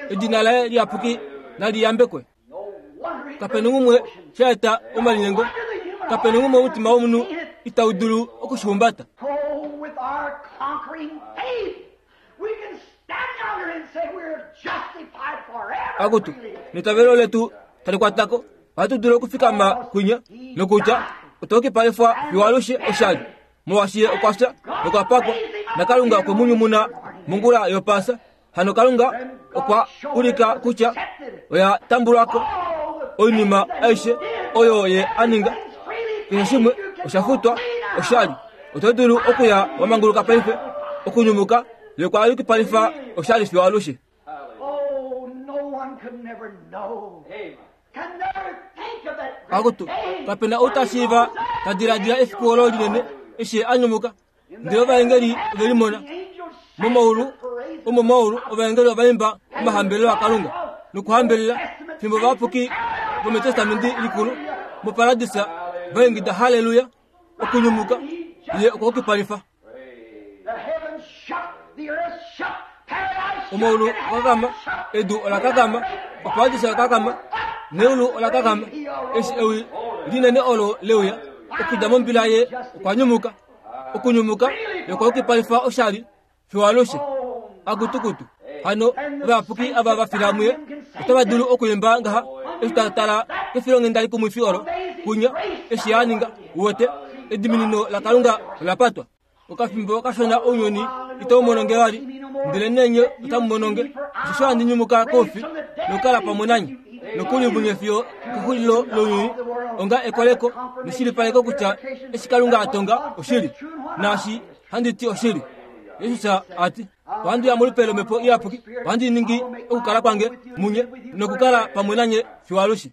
Edina laye liyapuki nali yambekwe. Kape na umwe sha eta omalinyengo, kape na umwe omutima womunhu itau dulu oku shi humbata. Akutu, netavelo letu tali kwata ko, ohatu dulu okufikama kwinya nokutya otwa yukipalifwa fiyo alushe oshali, molwaashi ye okwa fya nokwa pakwa, naKalunga okwe mu nyumuna mongula yOpaasa. Hano Kalunga okwa ulika kutya oya tambulwa ko oinima aishe oyo ye a ninga. Keshe shimwe osha futwa oshali. Oto dulu okuya wa manguluka paife, okunyumuka ye kwa yukipalifa oshali fiyo alushe. Akutu, kape na ou ta shiiva ta diladila efiku olo linene eshi a nyumuka. Ndele ovaengeli ove limona momaulu omomaulu ovaengeli ova imba omahambelelo aKalunga nokuhambelela fimbo ovayapuki vomEtestamenti Likulu moparadisa va ingida Halleluya! Okunyumuka ye okwa yukipalifa. Omaulu okwa kakama, edu ola kakama, oparadisa oya kakama, neulu ola kakama eshi ewi linene olo le uya okudja mombila ye okwa nyumuka. Okunyumuka ye okwa yukipalifa oshali fiyo alushe. Akutukutu hano ovayapuki ava va fila muye otava dulu okwiimba ngaha eshi ta tala kefilonghenda likumwifi olo kunya eshi a ninga. Uwete, ediminino laKalunga ola patwa. Okafimbo kashona ounyuni itau mono nge vali, ndelenee nye otamu mono nge, osheshi ohandi nyumuka koufi nokukala pamwe nanye, nokuli munye fiyo kexulilo lounyuni, onga ekoleko neshilipaleko kutya eshi Kalunga a tonga oshili, naashi handi ti oshili. Jesus a ti, Ohandi uya molupe lOmhepo Iyapuki, ohandi ningi okukala kwange munye nokukala pamwe nanye fiyo alushe.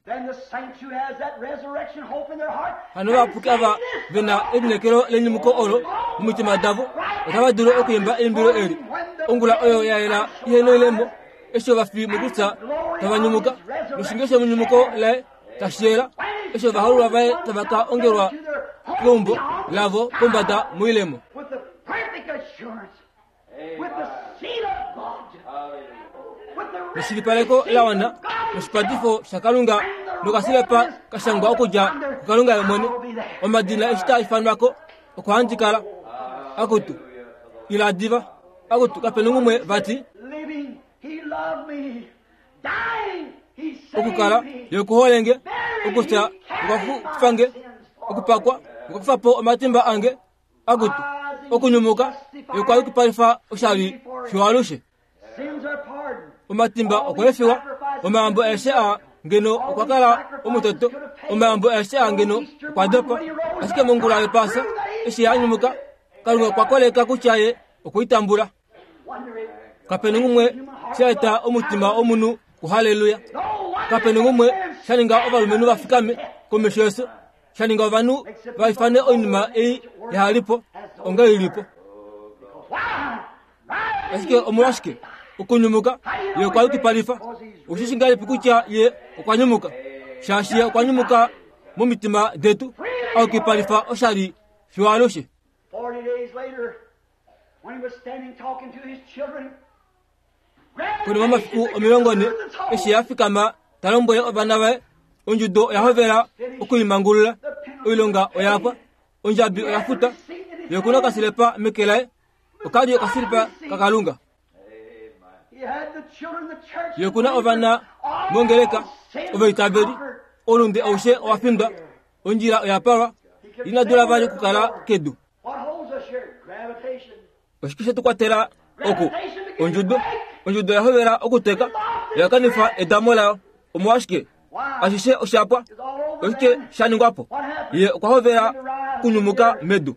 Hano ovayapuki ava ve na elineekelo lenyumuko olo momitima davo otava dulu okwiimba eimbilo eli ongula oyo ya yela ihe noilemo, eshi ovafi mokufya tava nyumuka, noshinge shenyumuko laye tashi yela, eshi ovahoololwa vaye tava ka ongelwa keumbo. lavo pombada moilemo. With the perfect assurance, with the seal of God, with the Neshilipaleko la wana noshipatifo shaKalunga nokasilepa ka shangwa okudja kuKalunga ye mwene. Omadina eshi taa ifanwa ko okwa handikala. Akutu, ila diva. Akutu, kape na umwe vati. Living, he loved me. Dying, he saved Okukala me. ye okuholenge, okufya okwa kufange, okupakwa okwa kufa po omatimba ange. Akutu, okunyumuka ye okwa yukipalifa oshali fiwalushe. Sins are pardoned. Omatimba okwa efiwa, omayambo aeshe aa ngeno okwa kala omutoto, omayambo aeshe aa ngeno okwa dopa. Ashike mongula yopaasa, eshi ye a nyumuka, Kalunga okwa koleka kutya ye okwe i tambula. Wonder it. Kape na umwe sha eta omutima womunhu kuhalleluya. No wonder Kape na umwe sha ninga ovalumenhu va fikame komesho yesu, sha ninga ovanhu va ifane oinima ei yahalipo onga ilipo. Why? Ashike omolwashike okunyumuka ye okwa yukipalifa? Oshishi ngahelipi kutya ye okwa nyumuka? Shaashi ye okwa nyumuka momitima detu, a yukipalifa oshali fiyo alushe. 40 days later, when he was standing talking to his children, Konima yomafiku 40, eshi a fikama ta lombwele ovana vaye, ondjudo oya hovela okulimangulula, oilonga oya pwa, ondjabi oya futa, ye oku na okasilepa meke laye, oka li okasilipa kaKalunga. He had the children, the church, Ye oku na ovana mongeleka, ovaitaveli, oulunde aushe owa findwa, ondjila oya palwa, ina dula vali okukala kedu. What holds us here? Gravitation. Oshike she tu kwatela oku? Ondjudo. Ondjudo oya hovela okuteka, oya kanifa edamo layo. Omolwashike? Ashishe osha pwa. Oshike sha ningwa po? Ye okwa hovela okunyumuka medu.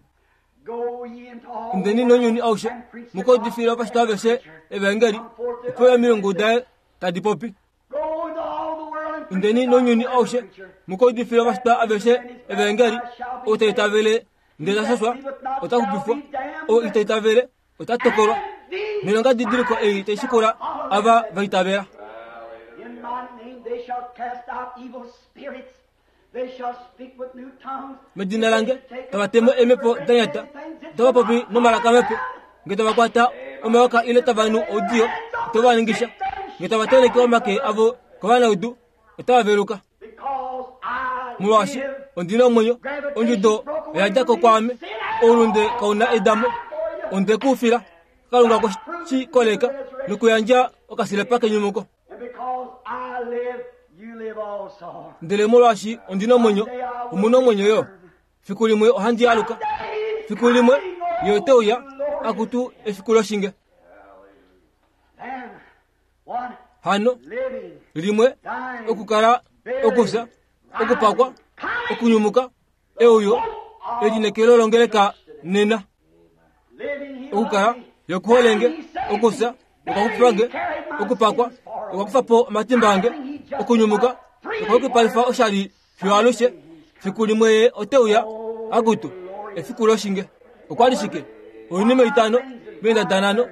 Go ye into all Indeni nounyuni aushe, mu ka udifile ovashitwa aveshe evaengeli, opo yo omilungu daye tadi popi. Go into all the world and preach Indeni the nounyuni gospel aushe, to every creature. mu ka udifile ovashitwa aveshe evaengeli, ou ta itavele ndele ta shashwa, ota xupifwa, ou ita itavele ota tokolwa. Noilonga didiliko ei tai shikula ava va itavela. In my name they shall cast out evil spirits. They shall speak with new tongues. Medina lange tava temo eemhepo da nyata, otava popi nomalaka mape, nge tava kwata omayoka ile tava nu oudiyo, otava va ningisha, nge tava tenheke omake avo kovanaudu, otava veluka. Because I Molwaashi live, ondi na omwenyo, ondjudo oya dja ko kwaame, oulunde kau na edamo, onde ku fila. Kalunga okwe shi koleka nokuyandja okasilepa kenyumuko. and because I live, you live also. Ndele molwaashi ondi na omwenyo, omu na omwenyo yo. Fiku limwe ohandi aluka. Fiku limwe ye ote uya, akutu efiku loshinge. Then, one Hano living, limwe dying, okukala, okufya, okupakwa, okunyumuka, euyo, elinekelo longeleka nena. living, he Okukala loved me. yokuholenge, okufya, okwakufange, okupakwa, okwakufa po omatimba ange, okunyumuka, okwakupalifa oshali fiyo alushe. Fiku limwe ye ote uya, akutu efiku loshinge. Okwa li shike? Oinima itano meendada nhano,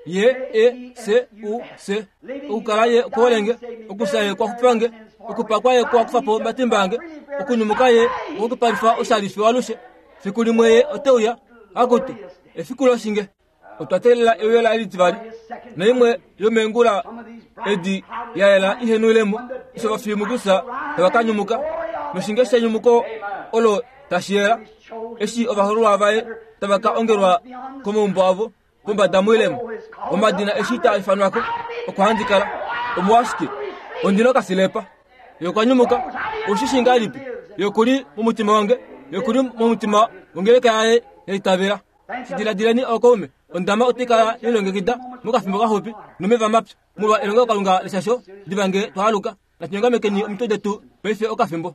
Ye, E, C, U, S. Okukala ye okuholenge, okufya ye okwakufange, okupakwa ye okwakufa po omatimba ange, okunyumuka ye okwakupalifa oshali fiyo alushe. Fiku limwe ye ote uya, akutu efiku loshinge. Otwa teelela euyo laye litivali, naimwe yomeengula edi ya yela ihe noilemo, eshi ovafiyumukusa tava ka nyumuka, noshinge shenyumuko olo tashi yela, eshi ovahoololwa vaye tava ka ongelwa komaumbo avo pombada moilemo, omadina eshi taa ifanwa ko okwa handikala. Omolwashike? Ondi na okasilepa. Ye okwa nyumuka. Ou shi shii ngahelipi? Ye oku li momutima wange. Ye oku li momutima wongeleka yaye ya itavela. Shi diladileni ookaume, ondama otai kala ye lilongekida mokafimbo kaxupi nomeva mapyu molwa elongelokalunga leshasho diva nge twa aluka. Natu nyongamekeni omitwe detu paife okafimbo.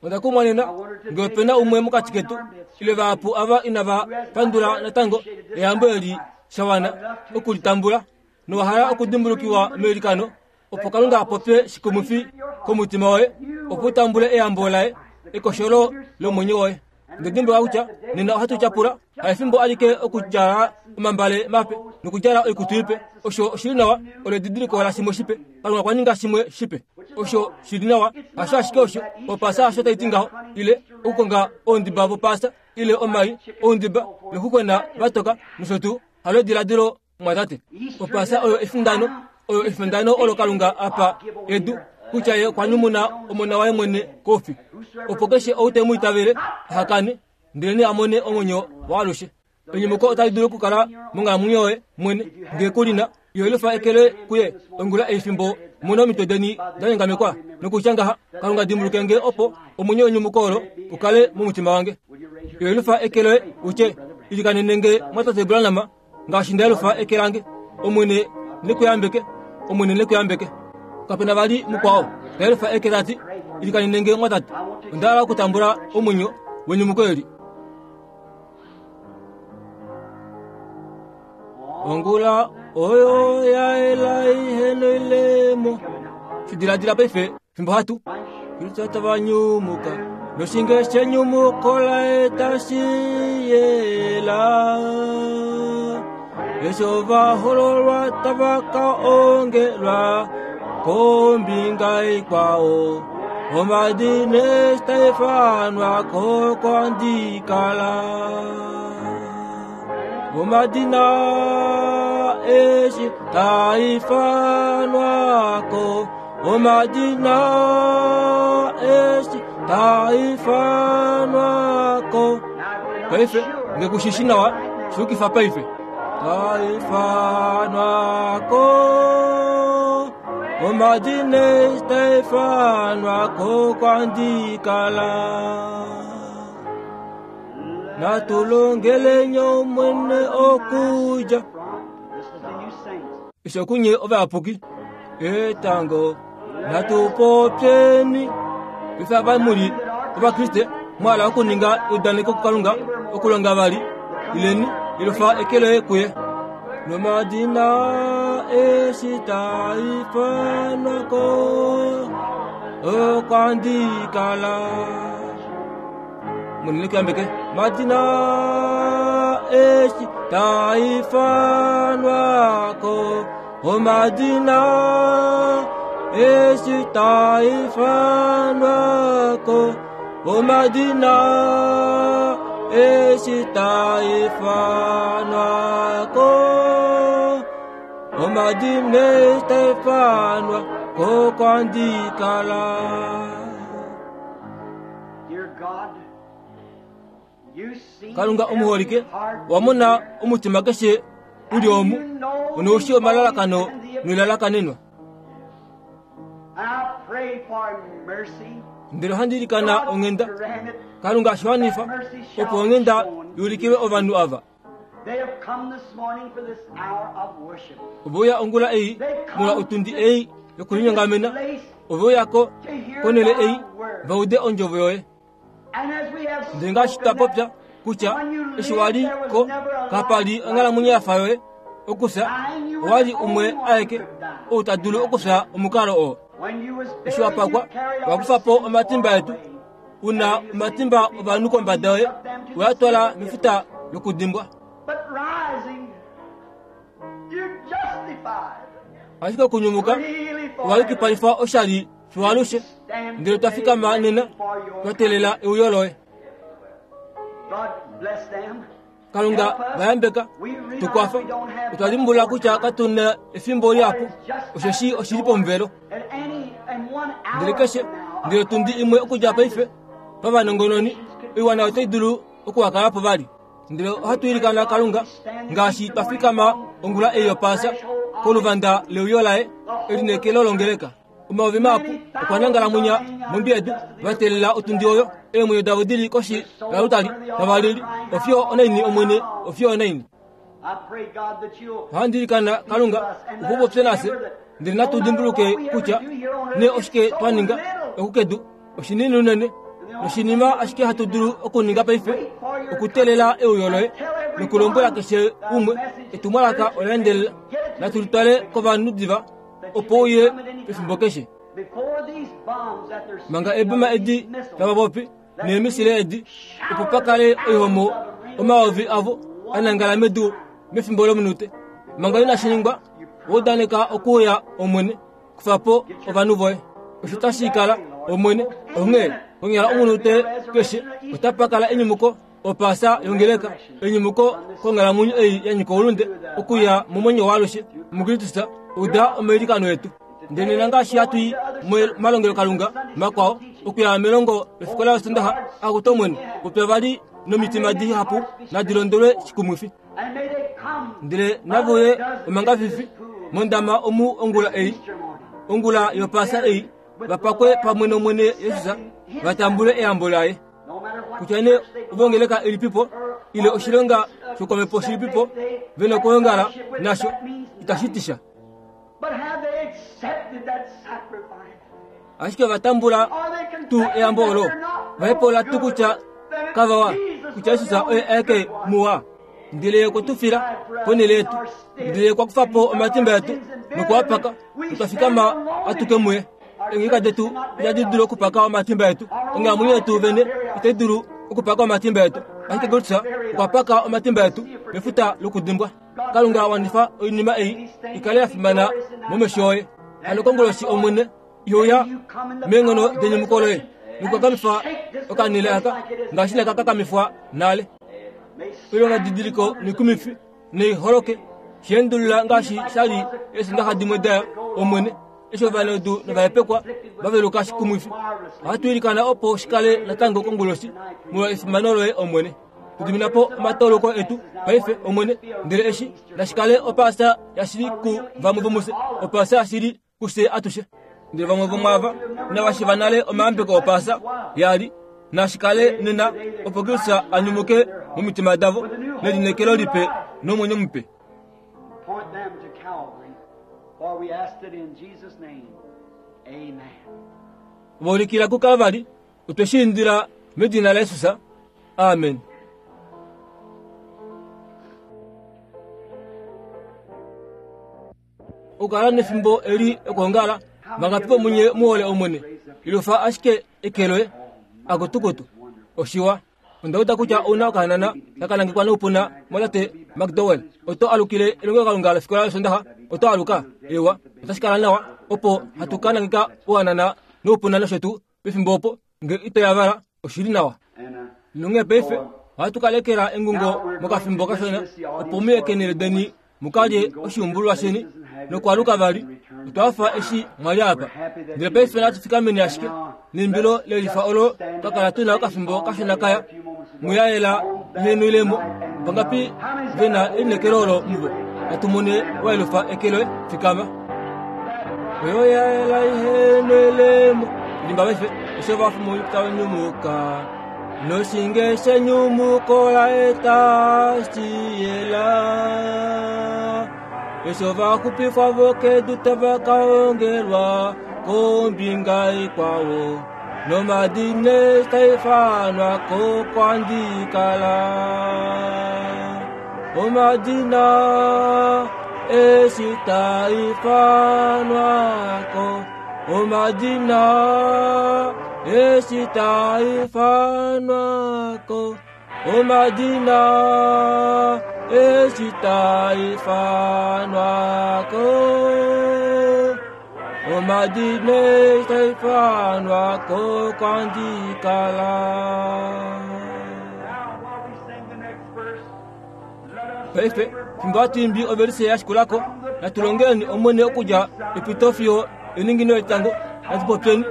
Onda kumwa nena nge ope na umwe mokati ketu ile vahapu ava inava pandula natango eyambo eli sha wana oku li tambula nowa hala okudimbulukiwa meilikano opo Kalunga a popye shikumwifi komutima woye opo u tambule eyambo laye, ekosholo lomwenyo woye. Ndele dimbuluka kutya nena ohatu tyapula haefimbo alike okudjala omambale mape nokudjala oikutu ipe. Osho oshi li nawa, olo edidiliko lashimwe shipe. Kalunga okwa ninga shimwe shipe. Osho shi li nawa, hasho ashike osho opaasa hasho tai ti ngaho, ile okukonga oundiba vopaasa ile omai oundiba nokukwena vatoka nosho tuu. Halo ediladilo mwatate. Opaasa oyo efindano, oyo efindano olo Kalunga a pa edu kutya ye okwa nyumuna omona waye mwene koufi, opo keshe ou te mu itavele aha kane, ndelenee a mone omwenyo waalushe. Enyumuko otali dulu okukala monghalamwenyo yoye mwene ngee ku li na. Yelifa eke loye kuye ongula ei fimbo mu na omitwe deni da nyongamekwa nokutya ngaha, Kalunga dimbuluke nge opo omwenyo wenyumuko olo u kale momutima wange. Yelifa eke loye u tye, Ilikanene nge mwatate Branham ngaashi nda yelufa eke lange. Omwene ne ku yambeke. Omwene ne ku yambeke. Kape na vali mukwao ta yelufa eke ta ti, Ilikanene nge mwatate. Onda hala okutambula omwenyo wenyumuko eli. Ongula oyo ya yela ihe noilemo. Shi diladila paife fimbo hatu. Kristo tava nyumuka noshinge shenyumuko laye tashi yela. Eshi ovahololwa tava ka ongelwa kombinga ikwao, omadina eshi taa ifanwa ko kwandikala. Omadina eshi taa ifanwa ko, omadina eshi taa ifanwa ko. Paife, nge ku shi shi nawa, shi yukifa paife. Taa ifanwa ko, omadina eshi taa ifanwa ko kwandikala. Natu longeleni Omwene okudja eshi okunye ovayapuki etango natu popyeni paife ava mu li ovakriste mwa hala okuninga eudaneko kukalunga okulonga vali ileni yelufa eke loye kuye nomadina eshi taa ifanwa ko okwandikala Munene kuyambeke madina eshi taifanwako omadina eshi taifanwako omadina eshi taifanwako omadina eshi taifanwa ko kwandikala. Kalunga omuholike, owa mona omutima keshe u li omu, onou shii omalalakano noilalakanenwa. Ndele ohandi ilikana onghenda, Kalunga shi wanifa, opo onghenda i ulikilwe ovanhu ava. Ove uya ongula ei molwa otundi ei yokulinyongamena. Ove uya ko konhele ei va ude ondjovo yoye. Ndele ngaashi twa popya kutya eshi wa li ko kapa li onghalamwenyo ya fa yoye okufya, owa li umwe aeke ou ta dulu okufya omukalo oo. Eshi wa pakwa, wa kufa po omatimba etu. U na omatimba ovanhu kombada yoye, we a twala mefuta lokudimbwa. Ashike okunyumuka, owa yukipalifa oshali fiwalushe, ndele twa fikama nena twa teelela euyo loye. Kalunga va yambeka, tu kwafa. Otwa dimbulula kutya katu na efimbo lihapu, osheshi oshi li pomuvelo. Ndele keshe, ndele tundi imwe okudja paife, pavanongononi, oiwana otai dulu okuhakala po vali. Ndele ohatu ilikana Kalunga, ngaashi twa fikama ongula ei yOpaasa, koluvanda leuyo laye, elineekelo longeleka. Omayovi mahapu okwa nangala mwinya mondwi yedu, va teelela otundi oyo. Eemwenyo davo di li koshi yalutali, tava lili, Ofiyo onaini, Omwene, ofiyo onaini? Ohandi ilikana, Kalunga, opo u popye nafye, ndele natu dimbuluke kutya nee oshike twa ninga oku kedu. Oshinini unene, noshinima ashike hatu dulu okuninga paife okuteelela euyo loye nokulombwela keshe umwe etumwalaka ola endelela. Natu litwale kovanhu diva opo uye pefimbo keshe. Manga eeboma edi tava popi. Neemisile edi opo pa kale oihomo omayovi avo a nangala medu mefimbo lomunute. Manga inashi ningwa, wa udaneka okuuya Omwene, kufa po ovanhu voye. Osho tashi kala, Omwene. Onghee, konyala omunute keshe otapa kala enyumuko, Opaasa yongeleka, enyumuko konghalamwenyo ei ya nyika oulunde, okuya momwenyo waalushe muKristus. Uda omailikano etu. Ndele nena ngaashi hatu i momalongelokalunga makwao, okuya melongo lofikola yOsondaxa, akutu Omwene, popya vali nomitima dihapu nadi londolwe shikumwifi. Ndele nave uye omangafifi mondama omu ongula ei, ongula yOpaasa ei, va pakwe pamwe nOmwene Jesus, va tambule eyambo laye. Kutya nee ovongeleka ilipipo ile oshilonga shokomhepo shilipipo ve na okwoongala nasho, itashi ti sha. Ashike ova tambula tuu eyambo olo? Va hepaula tuu kutya kava wa, kutya Jesus oye aeke muwa? Ndele ye okwe tu fila ponhele yetu, ndele ye okwa kufa po omatimba etu nokwa paka, notwa fikama atuke muye. Eengeleka detu itadi dulu okupaka omatimba etu, onghalamwenyo yetu vene itai dulu okupaka omatimba etu, ashike Kristus okwa paka omatimba etu mefuta lokudimbwa. Kalunga a wanifa oinima ei i kale ya fimana momesho oye. Hano konguloshi Omwene iuya meenghono denyumuko loye nokukakamifa okanhele aka ngaashi inaka kakamifwa nale. Oilonga didiliko noikumifi nei holoke shiendulula ngaashi sha li eesundaxa dimwe daya Omwene eshi ovanaudu novahepekwa va veluka shikumwifi. Ohatu ilikana opo shi kale natango konguloshi molwa efimano loye Omwene. Tu dimina po omatauluko etu paife, Omwene, ndele eshi nashi kale Opaasa yashili ku vamwe vomufye, Opaasa yashili kufye atushe. Ndele vamwe vomwaava inava shiiva nale omayambeko Opaasa ya li, nashi kale nena, opo Kristus a nyumuke momitima davo nelineekelo lipe nomwenyo mupe. Point them to Calvary, for we asked it in Jesus' name. Amen. Va ulikila kuKalvari, Otwe shi indila medina laJesus. Amen. Okukala nefimbo eli okwoongala, vangapi vomunye mu hole Omwene? Ilufa ashike eke loye. Akutukutu. Oshiwa. Onda uda kutya ou na okahanana taka nangekwa noupuna mwatate McDowell. Oto alukile elongelokalunga lofikola yOsondaxa? Oto aluka? Eewa, otashi kala nawa opo hatu ka nangeka ohanana noupuna nosho tuu Pefimbo opo, nge ito yavala, oshi li nawa. Nonghee paife ohatu ka lekela engungo mokafimbo kashona, opo mu ye keenhele deni mu ka lye oshiumbululwa sheni nokwaluka vali. Otwa hafa eshi mwa li apa. Ndele paife natu fikameni ashike neimbilo lelifa olo twa kala tu na okafimbo kashona kaya, mu yaela ihenu ilemo. Vangapi ve na elineekelo olo muvo? Natu mone waelufa eke loye. Fikama. Oyo yaela ihenu ilemo. Limba paife, eshi ovafi tava nyumuka. Noshinge shenyumuko la eta shiyela. Eshi ovaxupifwa vokedu tava ka ongelwa kombinga ikwao. Nomadina taifanwa ko kwandikala. Omadina eshi taifanwa ko. Omadina eshi taifanwa ko. Omadina eshi taifanwa ko. Omadina eshi taifanwa ko kwandikala. Paife, fimbo hatu imbi ovelise ya shikula ko, natu longeleni Omwene okudja epito fiyo eningino letango. Natu popyeni,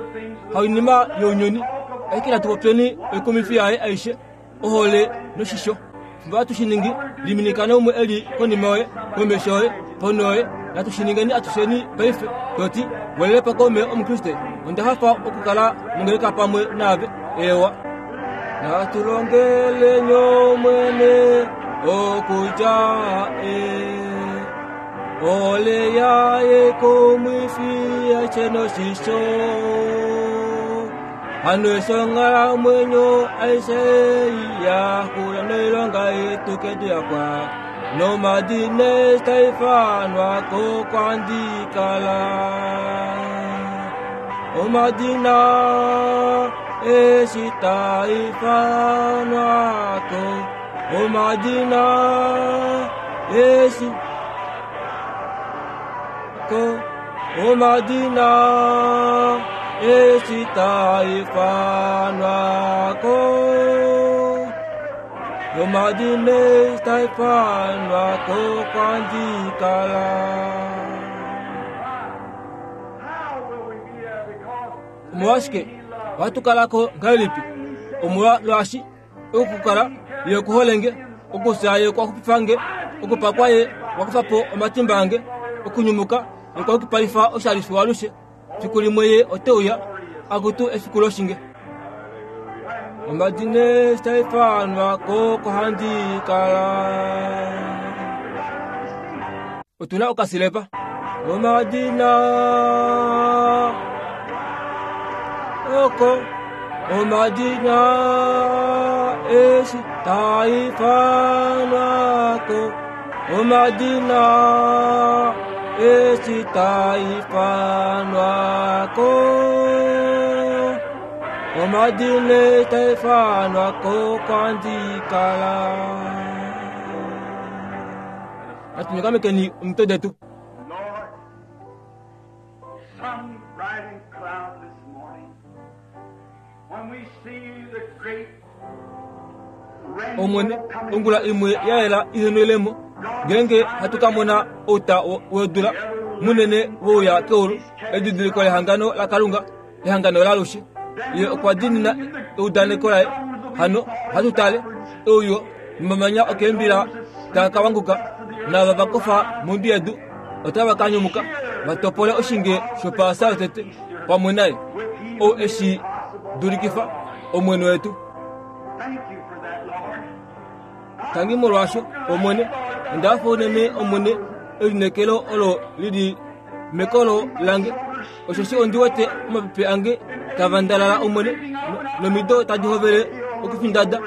hainima younyuni, ashike natu popyeni oikumifi yaye aishe, ohole noshisho. Fimbo hatu shi ningi, liminika naumwe e li konima yoye, komesho yoye, ponho yoye. Natu shi ningeni atusheni paife, to ti, Welele pa kaume Omukriste, onda hafa okukala mongeleka pamwe naave. Eewa. Natu longeleni Omwene okudja e ohole yaye kumwifi aishe noshisho. Hano eshi onghalamwenyo aishe ei ya xula noilonga yetu kedu ya pwa, nomadina eshi taa ifanwa ko kwandi kala. Omadina Eshi taifanwa ko omadina eshi ko omadina eshi taifanwa ko omadina eshi taifanwa ko kwandikala. Omolwashike ohatu kala ko ngahelipi? Omolwaashi okukala ye okuhole nge, okufya ye okwa xupifa nge, okupakwa ye okwa kufa po omatimba ange, okunyumuka ye okwa yukipalifa oshali fiwalushe. Fiku limwe ye ote uya, akutu efiku loshinge. Omadina taifanwa ko kohandi kala. Otu na okasilepa. Omadina oko omadina eshi taifanwa ko omadina eshi taifanwa ko omadina taifanwa ko kwandikala. Natu nyokamekeni omitwe detu. Lord, some bright and cloudless morning, when we see the great Omwene, rainbow coming ongula imwe ya yela ihenwelemo, ngeenge hatu ka mona outa wedula munene wouya keulu, edidiliko lehangano laKalunga, ehangano lalushe. Ye okwa diinina eudaneko laye. Hano ohatu tale euyo nomamanya okeembila taa ka wanguka, naava va kofa mondwi yedu otava ka nyumuka va topole oshinge shopaasa yotete pamwe naye, ou e shi dulikifa, Omwene wetu. Thank you for that, Lord. Tangi molwaasho, Omwene, onda hafa unene Omwene, elineekelo olo li li mekolo lange, osheshi ondi wete omapepe ange tava ndalala Omwene, nomido tadi hovele okufindada.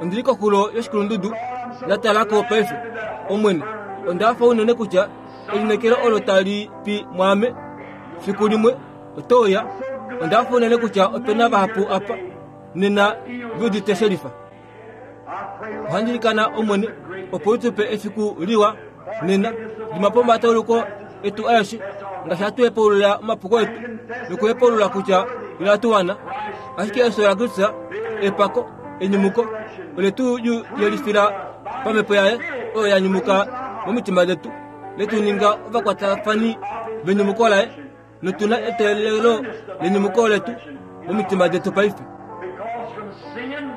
Ondi li koxulo yoshikulundudu, nda tala ko paife. Omwene, onda hafa unene kutya elineekelo olo tali pi mwaame fiku limwe oto uya. Onda hafa unene kutya ope na vahapu apa nena ve udite shelifa. Ohandi ilikana Omwene opo u tu pe efiku liwa nena. Dima po omatauluko etu aeshe ngaashi hatu hepaulula omapuko etu nokuhepaulula kutya inatu wana. Ashike efyo laKristus, epako, enyumuko, ole tu yelifila pamhepo yaye oyo ya nyumuka momitima detu, le tu ninga ovakwatafani venyumuko laye, notu na eteelelo lenyumuko letu momitima detu paife. Because from sin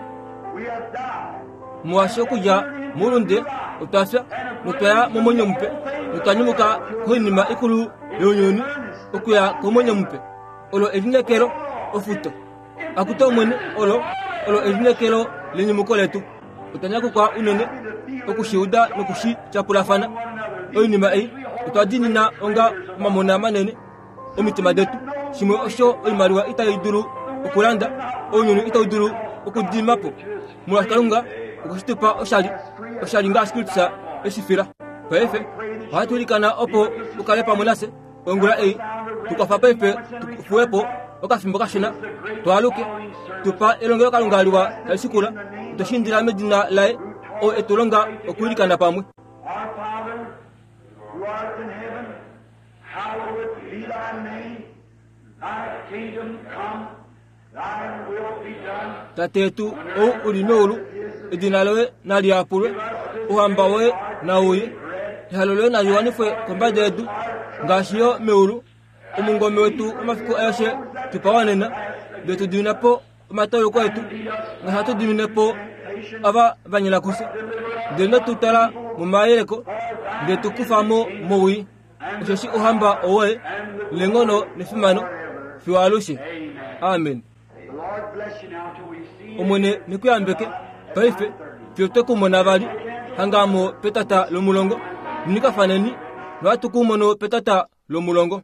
we have died. Molwaashi okudja moulunde otwa fya notwa ya momwenyo mupe, notwa nyumuka koinima ikulu younyuni okuya komwenyo mupe. Olo elineekelo, ofuto. Akutu Omwene, olo, olo elineekelo lenyumuko letu. Otwa nyakukwa unene oku shi uda noku shi tyapulafana. Oinima ei otwa diinina onga omamona manene omitima detu, shimwe osho oimaliwa itai dulu okulanda, ounyuni itau dulu okudima po, molwaashi Kalunga okwe shi tu pa oshali, oshali ngaashi Kristus e shi fila. Paife ohatu ilikana opo u kale pamwe nafye ongula ei. Tu kwafa paife tu fuwe po okafimbo kashona, tu aluke, tu pa elongelokalunga liwa tali shikula. Otwe shi indila medina laye, oo e tu longa okwiilikana pamwe. Our Father, who art in heaven, hallowed be thy name. Thy kingdom come, thy will be done. Tate yetu ou u li meulu, edina loye nali yapulwe, ouhamba woye nau uye, ehalo loye nali wanifwe kombada yedu ngaashi yo meulu. Omungome wetu omafiku aeshe tu pa wanena, ndele tu dimina po omatauluko etu, ngaashi hatu dimine po ava va nyona kufye. Ndele ino tu twala momayeleko, ndele tu kufa mo mowii. Osheshi ouhamba owoye, neenghono nefimano, fiyo alushe. Amen. The Lord bless you now till we see you. Omwene ne ku yambeke paife fiyo twe ku mona vali hanga mo petata lomulongo. Minikafaneni nohatu ku mono petata lomulongo.